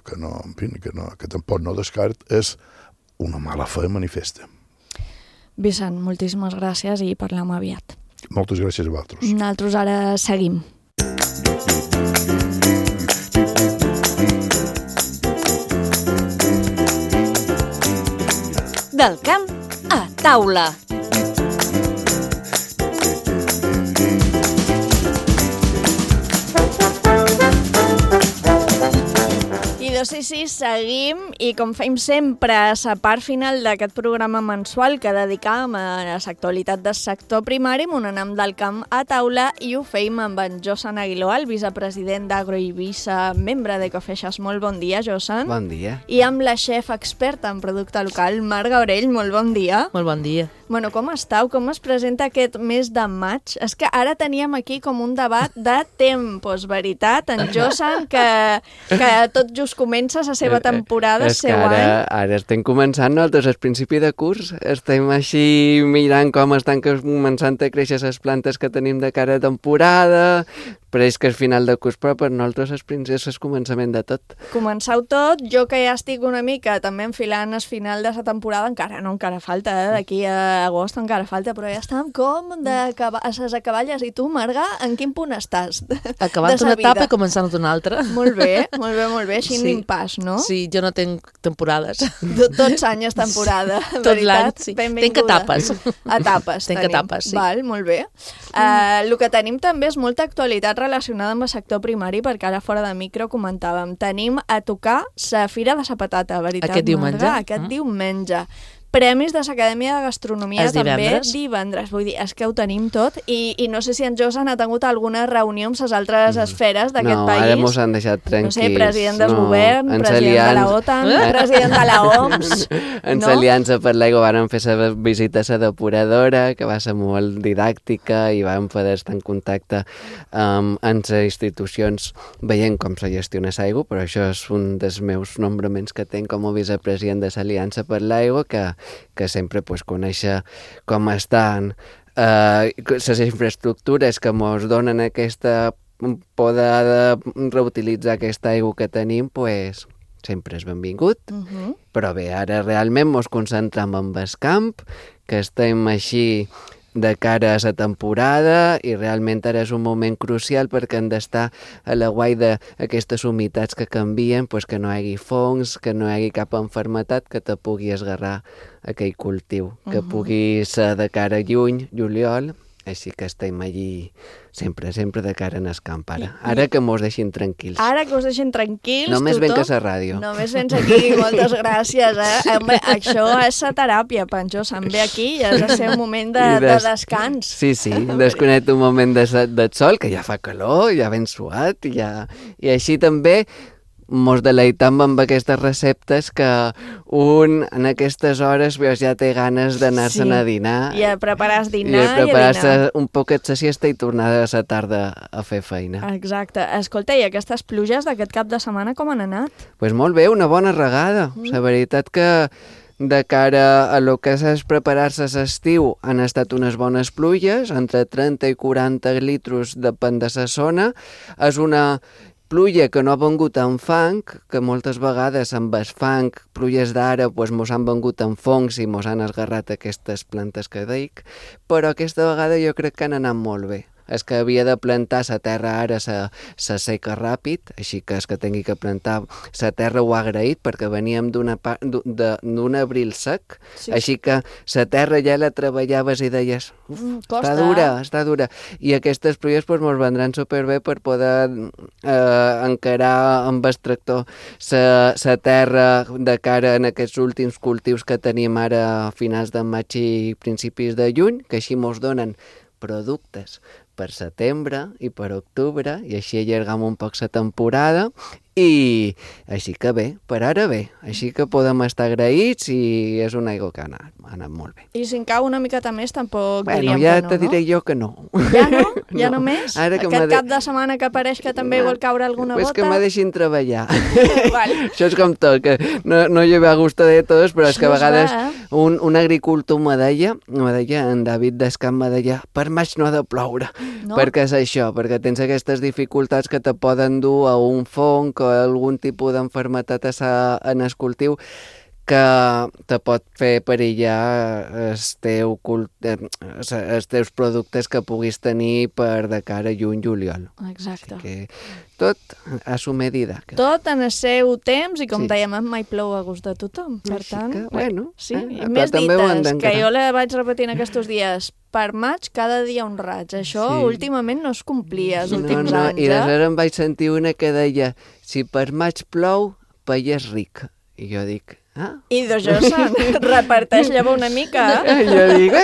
Speaker 10: que tampoc no descart, és una mala fe manifesta.
Speaker 3: Vicent, moltíssimes gràcies i parlem aviat.
Speaker 10: Moltes gràcies a vosaltres.
Speaker 3: Nosaltres ara seguim.
Speaker 9: Del camp a taula.
Speaker 3: Sí, seguim i com fem sempre a la part final d'aquest programa mensual que dedicàvem a l'actualitat del sector primari, anem del camp a taula i ho fem amb en Josan Aguiló, el vicepresident d'Agroeivissa, membre de Cofeixes. Molt bon dia, Josan.
Speaker 11: Bon dia.
Speaker 3: I amb la xef experta en producte local, Marc Gaurell. Molt bon dia.
Speaker 12: Molt bon dia.
Speaker 3: Bueno, com estàu? Com es presenta aquest mes de maig? És que ara teníem aquí com un debat de tempos, veritat? En Josan, que tot just comença la seva temporada, el seu any.
Speaker 11: Ara estem començant, nosaltres al principi de curs, estem així mirant com estan començant a créixer les plantes que tenim de cara a temporada, però és que al final de curs, però per nosaltres és el començament de tot.
Speaker 3: Començau tot, jo que ja estic una mica també enfilant el final de la temporada, encara falta, d'aquí a agost encara falta, però ja estem com a les acaballes. I tu, Marga, en quin punt estàs?
Speaker 12: Acabant una etapa i començant una altra.
Speaker 3: Molt bé, així sí. N'impàs, no?
Speaker 12: Sí, jo no tinc temporades.
Speaker 3: Tots anys és temporada,
Speaker 12: tot l'any, sí. Tinc etapes.
Speaker 3: Tinc etapes, sí. Val, molt bé. El que tenim també és molta actualitat relacionada amb el sector primari, perquè ara fora de micro comentàvem, tenim a tocar la Fira de la Patata, veritat,
Speaker 12: aquest diumenge.
Speaker 3: Aquest diumenge. Premis de l'Acadèmia de Gastronomia també divendres. Vull dir, és que ho tenim tot i no sé si en Josan ha tingut alguna reunió amb les altres esferes d'aquest país.
Speaker 11: No, ara mos han deixat tranquils.
Speaker 3: No sé, president del govern, president de la OTAN, president de la OMS.
Speaker 11: En l'Aliança per l'Aigua vàrem fer la visita a la depuradora, que va ser molt didàctica i vam poder estar en contacte amb les institucions veient com se gestiona l'aigua, però això és un dels meus nombraments que tinc com a vicepresident de l'Aliança per l'Aigua, que sempre conèixer com estan les infraestructures que ens donen aquesta poder de reutilitzar aquesta aigua que tenim, sempre és benvingut. Però bé, ara realment ens concentrem en el camp, que estem així de cara a la temporada i realment ara és un moment crucial perquè hem d'estar a la guai d'aquestes humitats que canvien, que no hi hagi fongs, que no hi hagi cap enfermetat que te pugui esgarrar aquell cultiu, que pugui ser de cara a juny, juliol, així que estem allí sempre de cara en el camp ara que mos deixin tranquils.
Speaker 3: Ara que us deixin tranquils.
Speaker 11: Només ven que a la ràdio.
Speaker 3: Només vens aquí, moltes gràcies. Home, això és la teràpia, Pancho, se'n ve aquí i has de ser un moment de descans.
Speaker 11: Sí, desconnecta un moment de sol, que ja fa calor, ja ben suat, i així també mos deleitam amb aquestes receptes que un en aquestes hores ja té ganes d'anar-se'n a dinar.
Speaker 3: I a preparar dinar
Speaker 11: i a preparar-se un poquet la siesta i tornar a la tarda a fer feina.
Speaker 3: Exacte. Escolta, i aquestes pluges d'aquest cap de setmana com han anat?
Speaker 11: Doncs molt bé, una bona regada. La veritat que de cara a lo que és preparar-se a l'estiu han estat unes bones pluges, entre 30 i 40 litros depèn de la zona. És una pluja que no ha vengut amb fang, que moltes vegades amb el fang, pluges d'ara, mos han vengut amb fongs i mos han esgarrat aquestes plantes que dic, però aquesta vegada jo crec que han anat molt bé. És que havia de plantar la terra ara se seca ràpid, així que és que tingui que plantar la terra ho ha agraït perquè veníem d'un abril sec, així que la terra ja la treballaves i deies està dura, i aquestes pluies ens vendran superbé per poder encarar amb el tractor la terra de cara en aquests últims cultius que tenim ara a finals de maig i principis de juny, que així ens donen productes per setembre i per octubre, i així allargam un poc la temporada i així que bé, per ara bé, així que podem estar agraïts i és una aigua que ha anat molt bé.
Speaker 3: I si en cau una miqueta més tampoc
Speaker 11: Bueno,
Speaker 3: diríem
Speaker 11: ja
Speaker 3: que no,
Speaker 11: te diré jo que no.
Speaker 3: Ja no? Ja no més?
Speaker 11: Ara que
Speaker 3: Aquest cap de setmana que apareix que també vol caure alguna
Speaker 11: Pues
Speaker 3: gota?
Speaker 11: que me deixin treballar.
Speaker 3: Vale.
Speaker 11: Això és com tot, que no hi va a gusto de tots, però és que a vegades un agricultor me deia, en David Descamp me deia, per maig no ha de ploure, perquè és això, perquè tens aquestes dificultats que te poden dur a un fong o a algun tipus d'enfermetat en el cultiu que te pot fer perillar els teus productes que puguis tenir per de cara a juny-juliol.
Speaker 3: Exacte.
Speaker 11: Així que tot a su medida.
Speaker 3: Tot en el seu temps i, com dèiem, mai plou a gust de tothom. Per tant,
Speaker 11: sí,
Speaker 3: més dites, que jo la vaig repetint aquests dies. Per maig, cada dia un raig. Això últimament no es complia els últims anys.
Speaker 11: I després em vaig sentir una que deia, si per maig plou, país ric. I jo dic,
Speaker 3: I d'això se'n reparteix llavors una mica.
Speaker 11: Jo dic,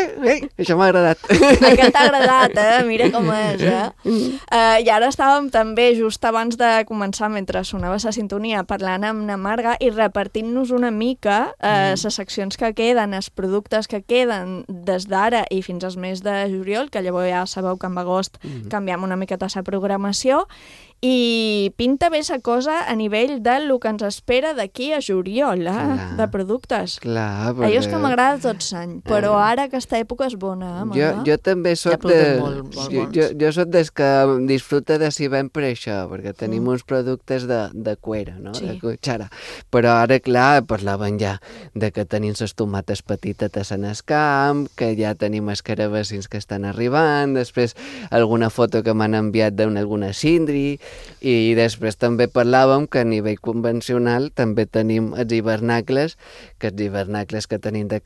Speaker 11: això m'ha agradat.
Speaker 3: Aquest t'ha agradat, mira com és, I ara estàvem també, just abans de començar, mentre sonava la sintonia, parlant amb na Marga i repartint-nos una mica les seccions que queden, els productes que queden des d'ara i fins al mes de juliol, que llavors ja sabeu que en agost canviem una miqueta la programació, i pinta bé la cosa a nivell del que ens espera d'aquí a juliol, de productes.
Speaker 11: Clar,
Speaker 3: perquè... Allò és que m'agrada tot l'any, però ara aquesta època és bona,
Speaker 11: Jo també soc jo soc des que disfruta de si ben per això, perquè tenim uns productes de cuera, no? De cuchara. Però ara, clar, parlaven ja de que tenim les tomates petites en el camp, que ja tenim els carabacins que estan arribant, després alguna foto que m'han enviat d'alguna cindri, i després també parlàvem que a nivell convencional també tenim els hivernacles, que tenim de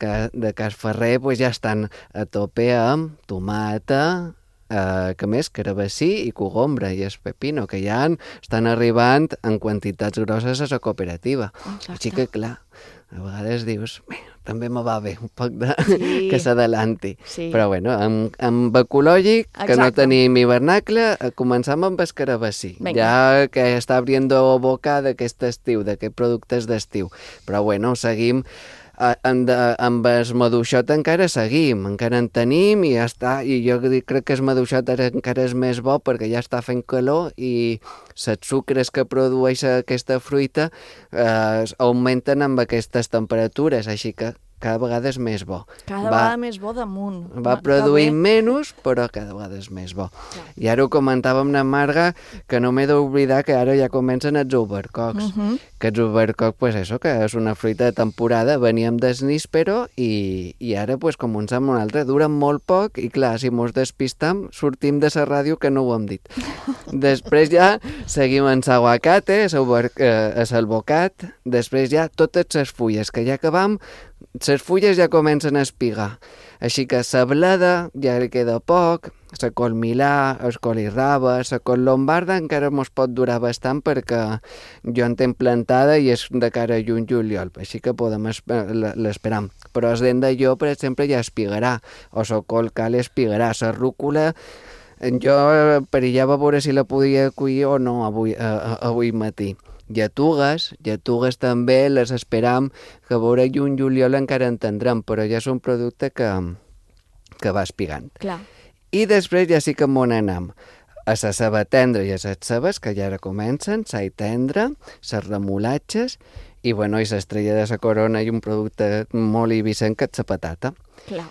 Speaker 11: Cas Ferrer ja estan a tope amb tomata, que més, carabací i cogombra i el pepino, que ja estan arribant en quantitats grosses a la cooperativa. Així que, clar, a vegades dius, també me va bé un poc que s'adelanti. Però bueno, amb ecològic, que no tenim hivernacle, començam amb el carabací, ja que està abriendo boca d'aquest estiu, d'aquests productes d'estiu. Però bueno, seguim amb el maduixot encara en tenim i ja està, i jo crec que el maduixot encara és més bo perquè ja està fent calor i els sucres que produeix aquesta fruita augmenten amb aquestes temperatures, així que cada vegada és més bo.
Speaker 3: Cada vegada més bo damunt.
Speaker 11: Va produint menys, però cada vegada és més bo. I ara ho comentàvem amb Marga, que no m'he d'oblidar que ara ja comencen els ubercocs. Que els ubercocs, pues això, que és una fruita de temporada, veníem del níspero i ara, pues, com un amb un altre, duren molt poc i, clar, si mos despistam, sortim de la ràdio que no ho hem dit. Després ja seguim amb l'aguacate, el bocat, després ja totes les fulles, que ja acabam, les fulles ja comencen a espigar. Així que la bleda ja li queda poc, la col milà, el colirraba, la col lombarda encara mos pot durar bastant perquè jo en tenc plantada i és de cara a juny-juliol, així que podem l'esperar. Però el dent d'allò, per exemple, ja espigarà, o la col cal espigarà, la rúcula jo perillava a veure si la podia collir o no avui matí. Lletugues també les esperam, que a veure juny-juliol encara en tindrem, però ja és un producte que va espigant.
Speaker 3: Clar.
Speaker 11: I després ja sí que m'on anem a la ceba tendra i a les cebes, que ja ara comencen, l'all tendre, les remolatges, i bueno, i l'estrella de la corona i un producte molt ibicenc que és la patata.
Speaker 3: Clar.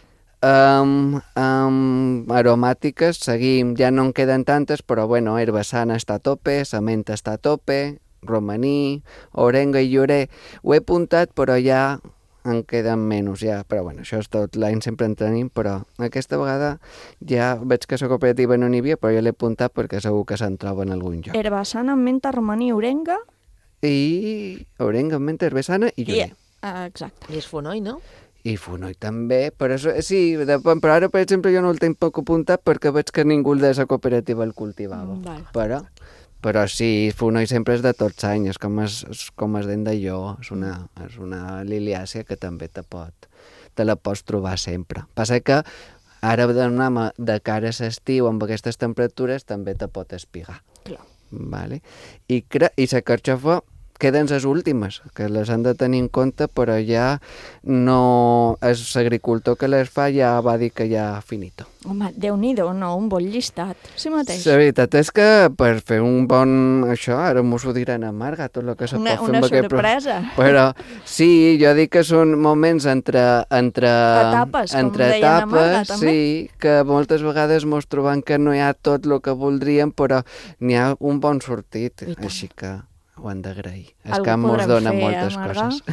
Speaker 11: Aromàtiques seguim, ja no en queden tantes, però bueno, herbassana està a tope, la menta està a tope, romaní, orenga i llorer, ho he apuntat però ja en queden menys, ja, però bueno, això és tot l'any, sempre en tenim, però aquesta vegada ja veig que la cooperativa no n'hi havia, però jo l'he apuntat perquè segur que se'n troba en algun lloc.
Speaker 3: Herbassana, menta, romaní, orenga...
Speaker 11: I orenga, menta, herbassana i llorer.
Speaker 3: Exacte.
Speaker 12: I és fonoll, no?
Speaker 11: I fonoll també, però sí, però ara, per exemple, jo no el tinc poc apuntat perquè veig que ningú de la cooperativa el cultivava. Però sí, fonoll sempre és de tots anys, és com es dent d'allò, és una liliàcia que també te la pots trobar sempre. Passa que ara de cara a l'estiu amb aquestes temperatures també te pot espigar.
Speaker 3: Clar.
Speaker 11: vale? I la carxofa queden les últimes, que les han de tenir en compte, però ja no... L'agricultor que les fa ja va dir que ja finito.
Speaker 3: Home, Déu-n'hi-do, no? Un bon llistat. Sí mateix.
Speaker 11: La veritat és que per fer un bon... Això, ara m'ho diran a Marga, tot el que se pot fer amb aquest...
Speaker 3: Una sorpresa.
Speaker 11: Però sí, jo dic que són moments entre
Speaker 3: etapes, com deien a Marga, també.
Speaker 11: Sí, que moltes vegades mos trobem que no hi ha tot el que voldríem, però n'hi ha un bon sortit, així que ho han d'agrair. El camp mos dona moltes coses.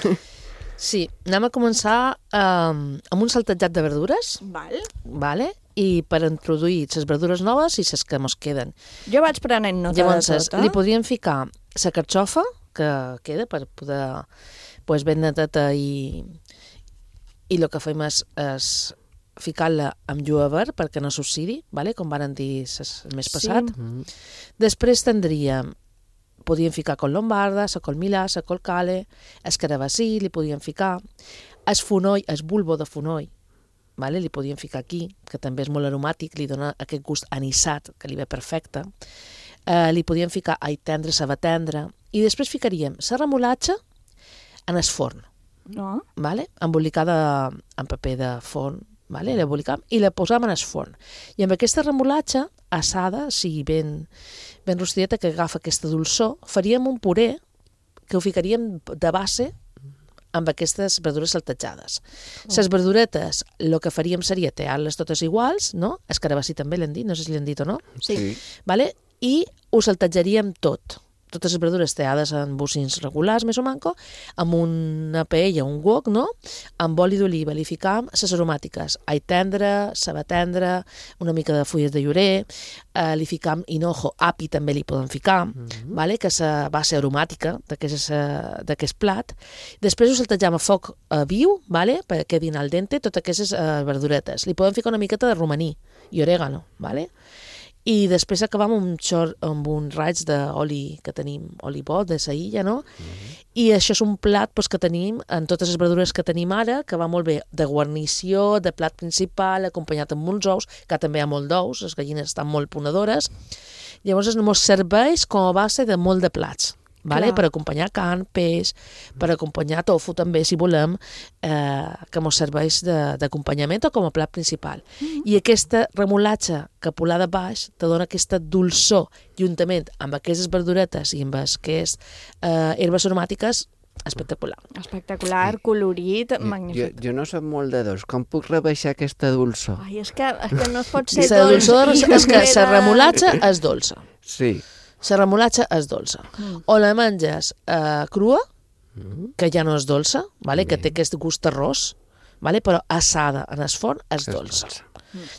Speaker 12: Sí, anem a començar amb un saltejat de verdures. Vale? I per introduir les verdures noves i les que mos queden.
Speaker 3: Jo vaig prenent nota de tot.
Speaker 12: Li podríem ficar la carxofa, que queda per poder ben neteta i el que fem és ficar-la amb julivert perquè no s'oxidi, com van dir el mes passat. Després podríem ficar col lombarda, la col milà, la col cale, el carabassí, li podríem ficar el fonoll, el bulbo de fonoll, li podríem ficar aquí, que també és molt aromàtic, li dona aquest gust anisat, que li ve perfecte. Li podríem ficar all tendre, ceba tendra, i després ficaríem la remolatxa en el forn, embolicada en paper de forn, l'embolicam i la posam en el forn. I amb aquesta remolatxa assada, ben rostideta, que agafa aquesta dolçor, faríem un puré que ho ficaríem de base amb aquestes verdures saltejades. Les verduretes, el que faríem seria tallar-les totes iguals, no? El carabassí també l'hem dit, no sé si l'hem dit o no.
Speaker 3: Sí.
Speaker 12: I ho saltejaríem totes les verdures tallades en bocins regulars, més o manco, amb una paella, un wok, no? Amb oli d'oliva, li ficam les aromàtiques, all tendre, ceba tendra, una mica de fulles de llorer, li ficam hinojo, api també li podem ficar, que és la base aromàtica d'aquest plat. Després ho saltejam a foc viu, perquè quedin al dente totes aquestes verduretes. Li podem ficar una miqueta de romaní i orégano, i després acabam amb un raig d'oli que tenim, oli bo, de saïlla, no? I això és un plat que tenim, en totes les verdures que tenim ara, que va molt bé de guarnició, de plat principal, acompanyat amb molts ous, que també hi ha molt d'ous, les gallines estan molt ponedores. Llavors ens serveix com a base de molt de plats. Per acompanyar carn, peix, per acompanyar tofu també, si volem, que ens serveix d'acompanyament o com a plat principal. I aquesta remolatxa capolada baix te dona aquesta dolçor, juntament amb aquestes verduretes i amb aquestes herbes aromàtiques, espectacular.
Speaker 3: Espectacular, colorit, magnífic.
Speaker 11: Jo no soc molt de dolç. Com puc rebaixar aquesta dolçor?
Speaker 3: Ai, és que no es pot ser
Speaker 12: dolç. La dolçor és que la remolatxa és dolça.
Speaker 11: Sí.
Speaker 12: La remolatxa és dolça. O la menges crua, que ja no és dolça, que té aquest gust terrós, però assada en el forn és dolça.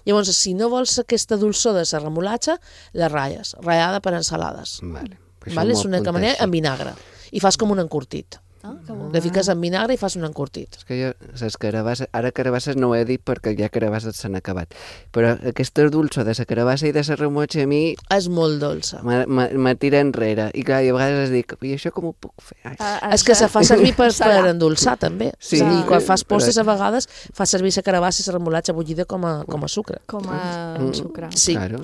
Speaker 12: Llavors, si no vols aquesta dolçor de la remolatxa, la ratlles, ratllada per ensalades. És una manera en vinagre. I fas com un encurtit. Le fiques en vinagre i fas un encurtit.
Speaker 11: És que jo, les carabasses, ara carabasses no ho he dit perquè ja carabasses s'han acabat, però aquesta dolça de la carabassa i de la remotxa a mi...
Speaker 12: És molt dolça.
Speaker 11: Me tira enrere. I clar, i a vegades dic, i això com ho puc fer?
Speaker 12: És que se fa servir per endolçar, també. Sí. I quan fas postres, a vegades, fas servir la carabassa i la remolatxa bullida com a sucre.
Speaker 3: Com a sucre.
Speaker 12: Sí.
Speaker 11: Claro,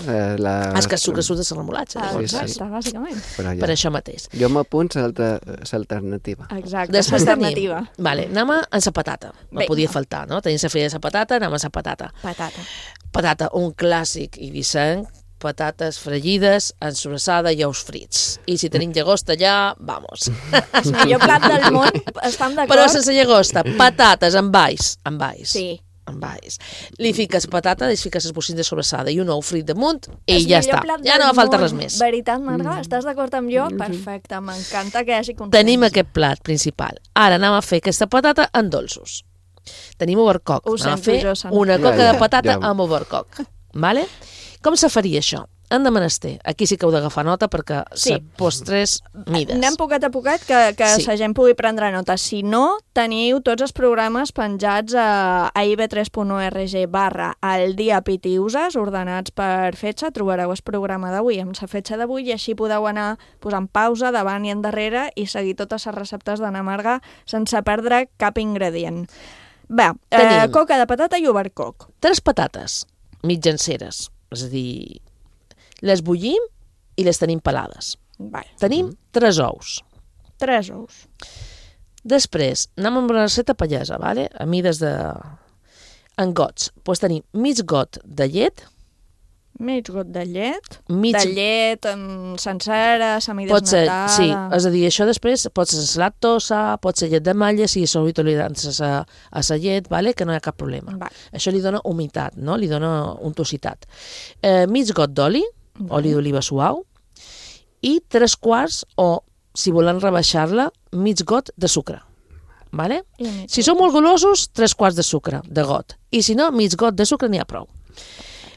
Speaker 12: és que el sucre surt de la remolatxa.
Speaker 3: Exacte, bàsicament.
Speaker 12: Per això mateix.
Speaker 11: Jo m'apunto l'alternativa.
Speaker 3: Exacte, l'alternativa.
Speaker 12: Vale, anem a la patata. No podia faltar, no? Tenim la filla de la patata, anem a la patata. Patata, un clàssic ibicenc, patates fregides, ensobrassada i ous frits. I si tenim llagosta allà, vamos.
Speaker 3: El millor plat del món, estem d'acord?
Speaker 12: Però sense llagosta, patates amb alls.
Speaker 3: Sí.
Speaker 12: Amb alls. Li fiques patata, li fiques els bocins de sobrassada i un ou frit damunt i ja està. Ja no va falta res més.
Speaker 3: Veritat, Marga? Estàs d'acord amb jo? Perfecte, m'encanta que hi hagi consens.
Speaker 12: Tenim aquest plat principal. Ara anem a fer aquesta patata en dolços. Tenim overcock. Anem a fer una coca de patata amb overcock. Vale? Com se faria això? Han de menester. Aquí sí que heu d'agafar nota perquè postres mides.
Speaker 3: Anem poquet a poquet que la gent pugui prendre nota. Si no, teniu tots els programes penjats a ib3.org/aldiapitiuses, ordenats per fetge. Trobareu el programa d'avui amb la fetge d'avui i així podeu anar posant pausa davant i endarrere i seguir totes les receptes d'Anna Marga sense perdre cap ingredient. Bé, coca de patata i overcock.
Speaker 12: 3 patates mitjanceres, és a dir, les bullim i les tenim pelades. Tenim 3 ous.
Speaker 3: 3 ous.
Speaker 12: Després, anem amb la recepta pallesa, vale? A mides de... En gots. Doncs tenim mig got de llet.
Speaker 3: Mig got de llet. De llet sencera, semidesnatada.
Speaker 12: Sí, és a dir, això després pot ser sense lactosa, pot ser llet de malla, si sou intolerants a la llet, vale? Que no hi ha cap problema. Això li dona humitat, no? Li dona untositat. Mig got d'oli, oli d'oliva suau, i 3 quarts, o si volen rebaixar-la, mig got de sucre. Vale? Si són molt golosos, 3 quarts de sucre, de got. I si no, mig got de sucre n'hi ha prou.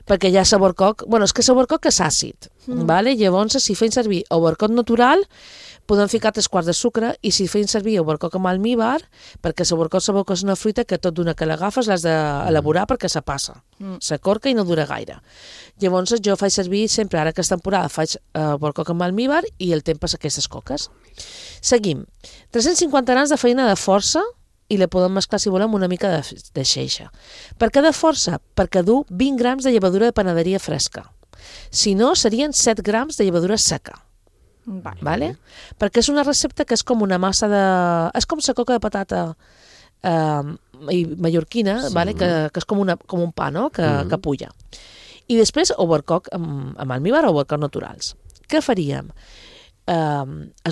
Speaker 12: Perquè hi ha saborcoc... Bueno, és que saborcoc és àcid. Vale? Llavors, si feim servir obercoc natural, podem ficar 3 quarts de sucre, i si feim servir obercoc amb almíbar, perquè saborcoc és una fruita que tot d'una que l'agafes l'has d'elaborar perquè se passa. S'acorca i no dura gaire. Llavors, jo faig servir sempre, ara que és temporada, faig obercoc amb almíbar i el temps passa aquestes coques. Seguim. 350 grams de farina de força, i la podem mesclar, si volem, una mica de xeixa. Per què de força? Perquè du 20 grams de llevadura de panaderia fresca. Si no, serien 7 grams de llevadura seca. Vale? Perquè és una recepta que és com una massa de... És com la coca de patata mallorquina, vale? Que és com un pa, no? Que pulla. I després, obercoc amb almíbar o obercoc naturals. Què faríem? És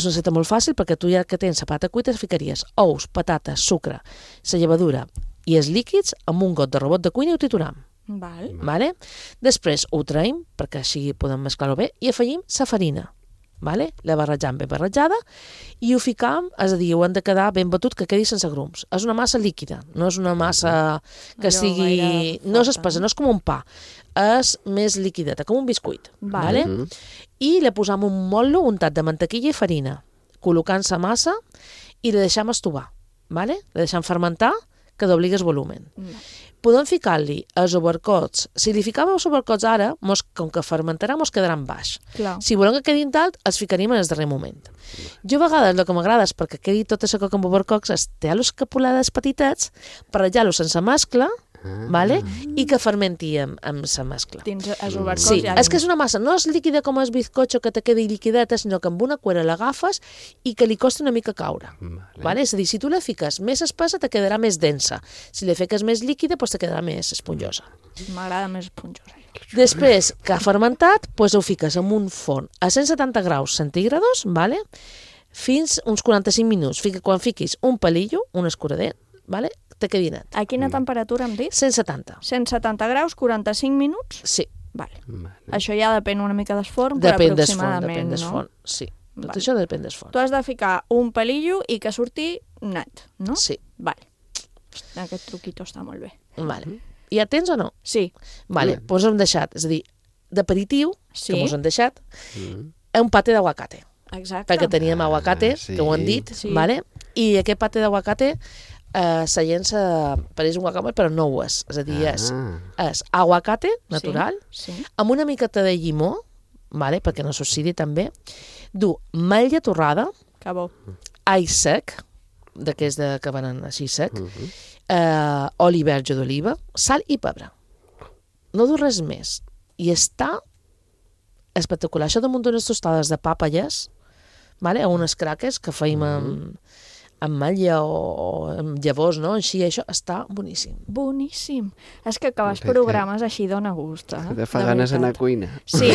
Speaker 12: una recepta molt fàcil, perquè tu ja que tens la patata cuita ficaries ous, patates, sucre, la llevadura i els líquids amb un got de robot de cuina i ho trituram. Vale? Després ho traiem, perquè així podem mesclar-ho bé, i afegim la farina. Vale? La barrejam ben barrejada i ho ficam, és a dir, ho hem de quedar ben batut, que quedi sense grums. És una massa líquida, no és una massa que sigui... No és espessa, no és com un pa, és més liquideta, com un biscuit. Vale? I le posam un motlo untat de mantequilla i farina, col·locant la massa i la deixam estovar. Vale? La deixam fermentar, que dobligui el volumen. Podem ficar-li els obercots. Si li ficàvem els obercots ara, com que fermentarà, ens quedaran baix. Si volem que quedin dalt, els ficaríem en el darrer moment. Jo a vegades el que m'agrada és perquè quedi tota la coca amb obercocs, és tallar-los capulades petitets, barrejar-los sense mescla, vale? I que fermenti amb la mescla.
Speaker 3: Dins els obercocs
Speaker 12: sí, és que és una massa, no és líquida com el bizcocho que te quedi liquideta, sinó que amb una cuera l'agafes i que li costa una mica caure. Vale? És a dir, si tu la fiques més espessa, te quedarà més densa. Si la fiques més líquida, doncs te quedarà més esponjosa.
Speaker 3: M'agrada més esponjosa.
Speaker 12: Després que ha fermentat, doncs ho fiques en un forn a 170 graus centígrados, vale? Fins uns 45 minuts. Quan fiquis un palillo, un escurader, vale? Te quedi net.
Speaker 3: A quina temperatura hem dit?
Speaker 12: 170.
Speaker 3: 170 graus, 45 minuts?
Speaker 12: Sí.
Speaker 3: Vale. Això ja depèn una mica del forn, però aproximadament,
Speaker 12: depèn del forn, sí. Tot això depèn del forn.
Speaker 3: Tu has de ficar un palillo i que surti net, no?
Speaker 12: Sí.
Speaker 3: Vale. Aquest truquito està molt bé.
Speaker 12: Vale. Ja tens o no?
Speaker 3: Sí.
Speaker 12: Vale, doncs hem deixat, és a dir, d'aperitiu, que mos han deixat, un paté d'aguacate.
Speaker 3: Exacte.
Speaker 12: Perquè teníem aguacate, que ho han dit, vale? I aquest paté d'aguacate la gent pareix un guacamole, però no ho és. És a dir, és aguacate natural, amb una miqueta de llimó, vale? Perquè no s'oxidi també, du malla torrada, all sec, d'aquells que venen així sec, oli verge d'oliva, sal i pebre. No du res més. I està espectacular. Això damunt d'unes tostades de pàpalles, o unes craques que feim amb malla o amb llavors, no? Així, això està boníssim.
Speaker 3: Boníssim. És que acabes programes així dona gust.
Speaker 11: De fa ganes d'anar a cuina.
Speaker 3: Sí.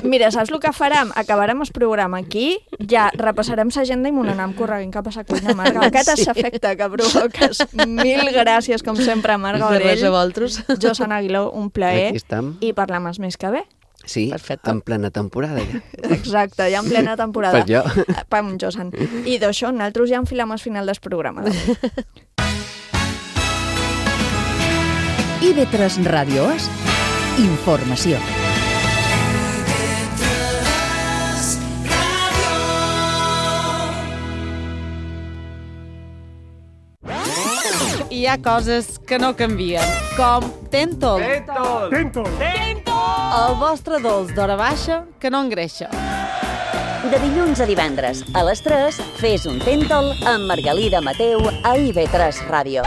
Speaker 3: Mira, saps el que farem? Acabarem el programa aquí, ja repassarem l'agenda i m'ho anem corregint cap a la cuina, Marga. Aquest és l'efecte que provoques. Mil gràcies, com sempre, Marga Orell.
Speaker 12: De res a vosaltres.
Speaker 3: Josan Aguiló, un plaer.
Speaker 11: Aquí estem.
Speaker 3: I parlem el mes que ve.
Speaker 11: Sí, en plena temporada ja.
Speaker 3: Exacte, ja en plena temporada.
Speaker 11: Per jo.
Speaker 3: Pam, Josan. I d'això, nosaltres ja enfilem al final del programa.
Speaker 2: IB3 Ràdio és informació.
Speaker 13: Hi ha coses que no canvien, com Tentol.
Speaker 14: Tentol.
Speaker 13: El vostre dolç d'hora baixa que no engreixa.
Speaker 15: De dilluns a divendres, a les 3, fes un Tentol amb Margalida Mateu a IB3 Ràdio.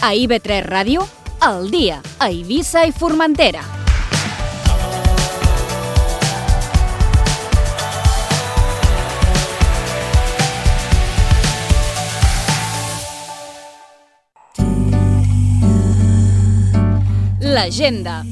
Speaker 9: A IB3 Ràdio, al dia, a Eivissa i Formentera. L'agenda.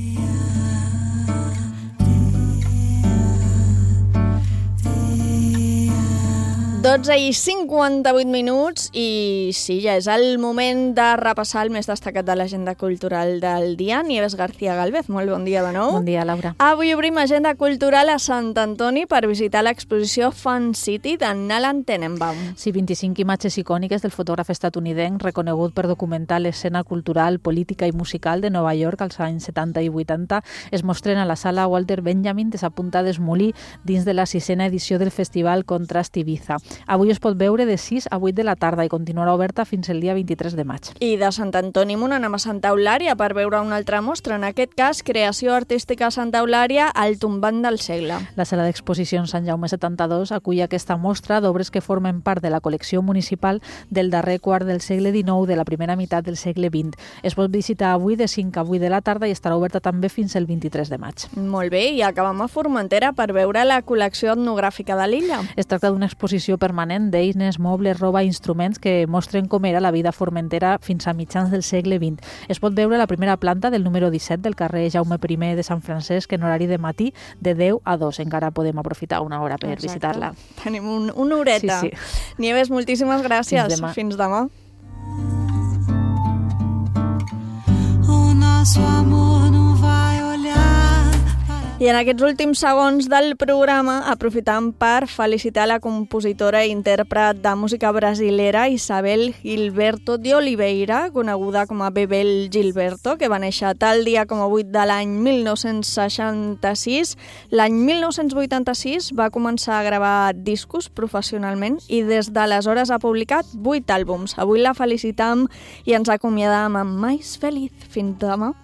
Speaker 3: I 58 minuts i sí, ja és el moment de repassar el més destacat de l'agenda cultural del dia. Nieves García Galvez, molt bon dia de nou.
Speaker 4: Bon dia, Laura.
Speaker 3: Avui obrim agenda cultural a Sant Antoni per visitar l'exposició Fun City d'en Alan Tenenbaum.
Speaker 4: Sí, 25 imatges icòniques del fotògraf estatunidenc reconegut per documentar l'escena cultural, política i musical de Nova York als anys 70 i 80 es mostren a la sala Walter Benjamin de Sapunta d'Esmolí dins de la 6a edició del festival Contrast Ibiza. Avui es pot veure de 6 a 8 de la tarda i continuarà oberta fins el dia 23 de maig.
Speaker 3: I de Sant Antoni Munt anem a Santa Eulària per veure una altra mostra, en aquest cas Creació Artística Santa Eulària, el tombant del segle.
Speaker 4: La sala d'exposicions Sant Jaume 72 acull aquesta mostra d'obres que formen part de la col·lecció municipal del darrer quart del segle XIX, de la primera meitat del segle XX. Es pot visitar avui de 5 a 8 de la tarda i estarà oberta també fins el 23 de maig.
Speaker 3: Molt bé, i acabem a Formentera per veure la col·lecció etnogràfica de l'illa.
Speaker 4: Es tracta d'una exposició permanent d'eines, mobles, roba i instruments que mostren com era la vida formentera fins a mitjans del segle XX. Es pot veure la primera planta del número 17 del carrer Jaume I de Sant Francesc en horari de matí de 10 a 2. Encara podem aprofitar una hora per visitar-la.
Speaker 3: Tenim una horeta.
Speaker 4: Sí.
Speaker 3: Nieves, moltíssimes gràcies.
Speaker 4: Fins demà.
Speaker 3: Fins demà.
Speaker 14: O nosso amor não vai olhar.
Speaker 3: I en aquests últims segons del programa aprofitam per felicitar la compositora i intèrpret de música brasilera Isabel Gilberto de Oliveira, coneguda com a Bebel Gilberto, que va néixer tal dia com a 8 de l'any 1966. L'any 1986 va començar a gravar discos professionalment i des d'aleshores ha publicat 8 àlbums. Avui la felicitam i ens acomiadam amb Mais Feliz. Fins demà.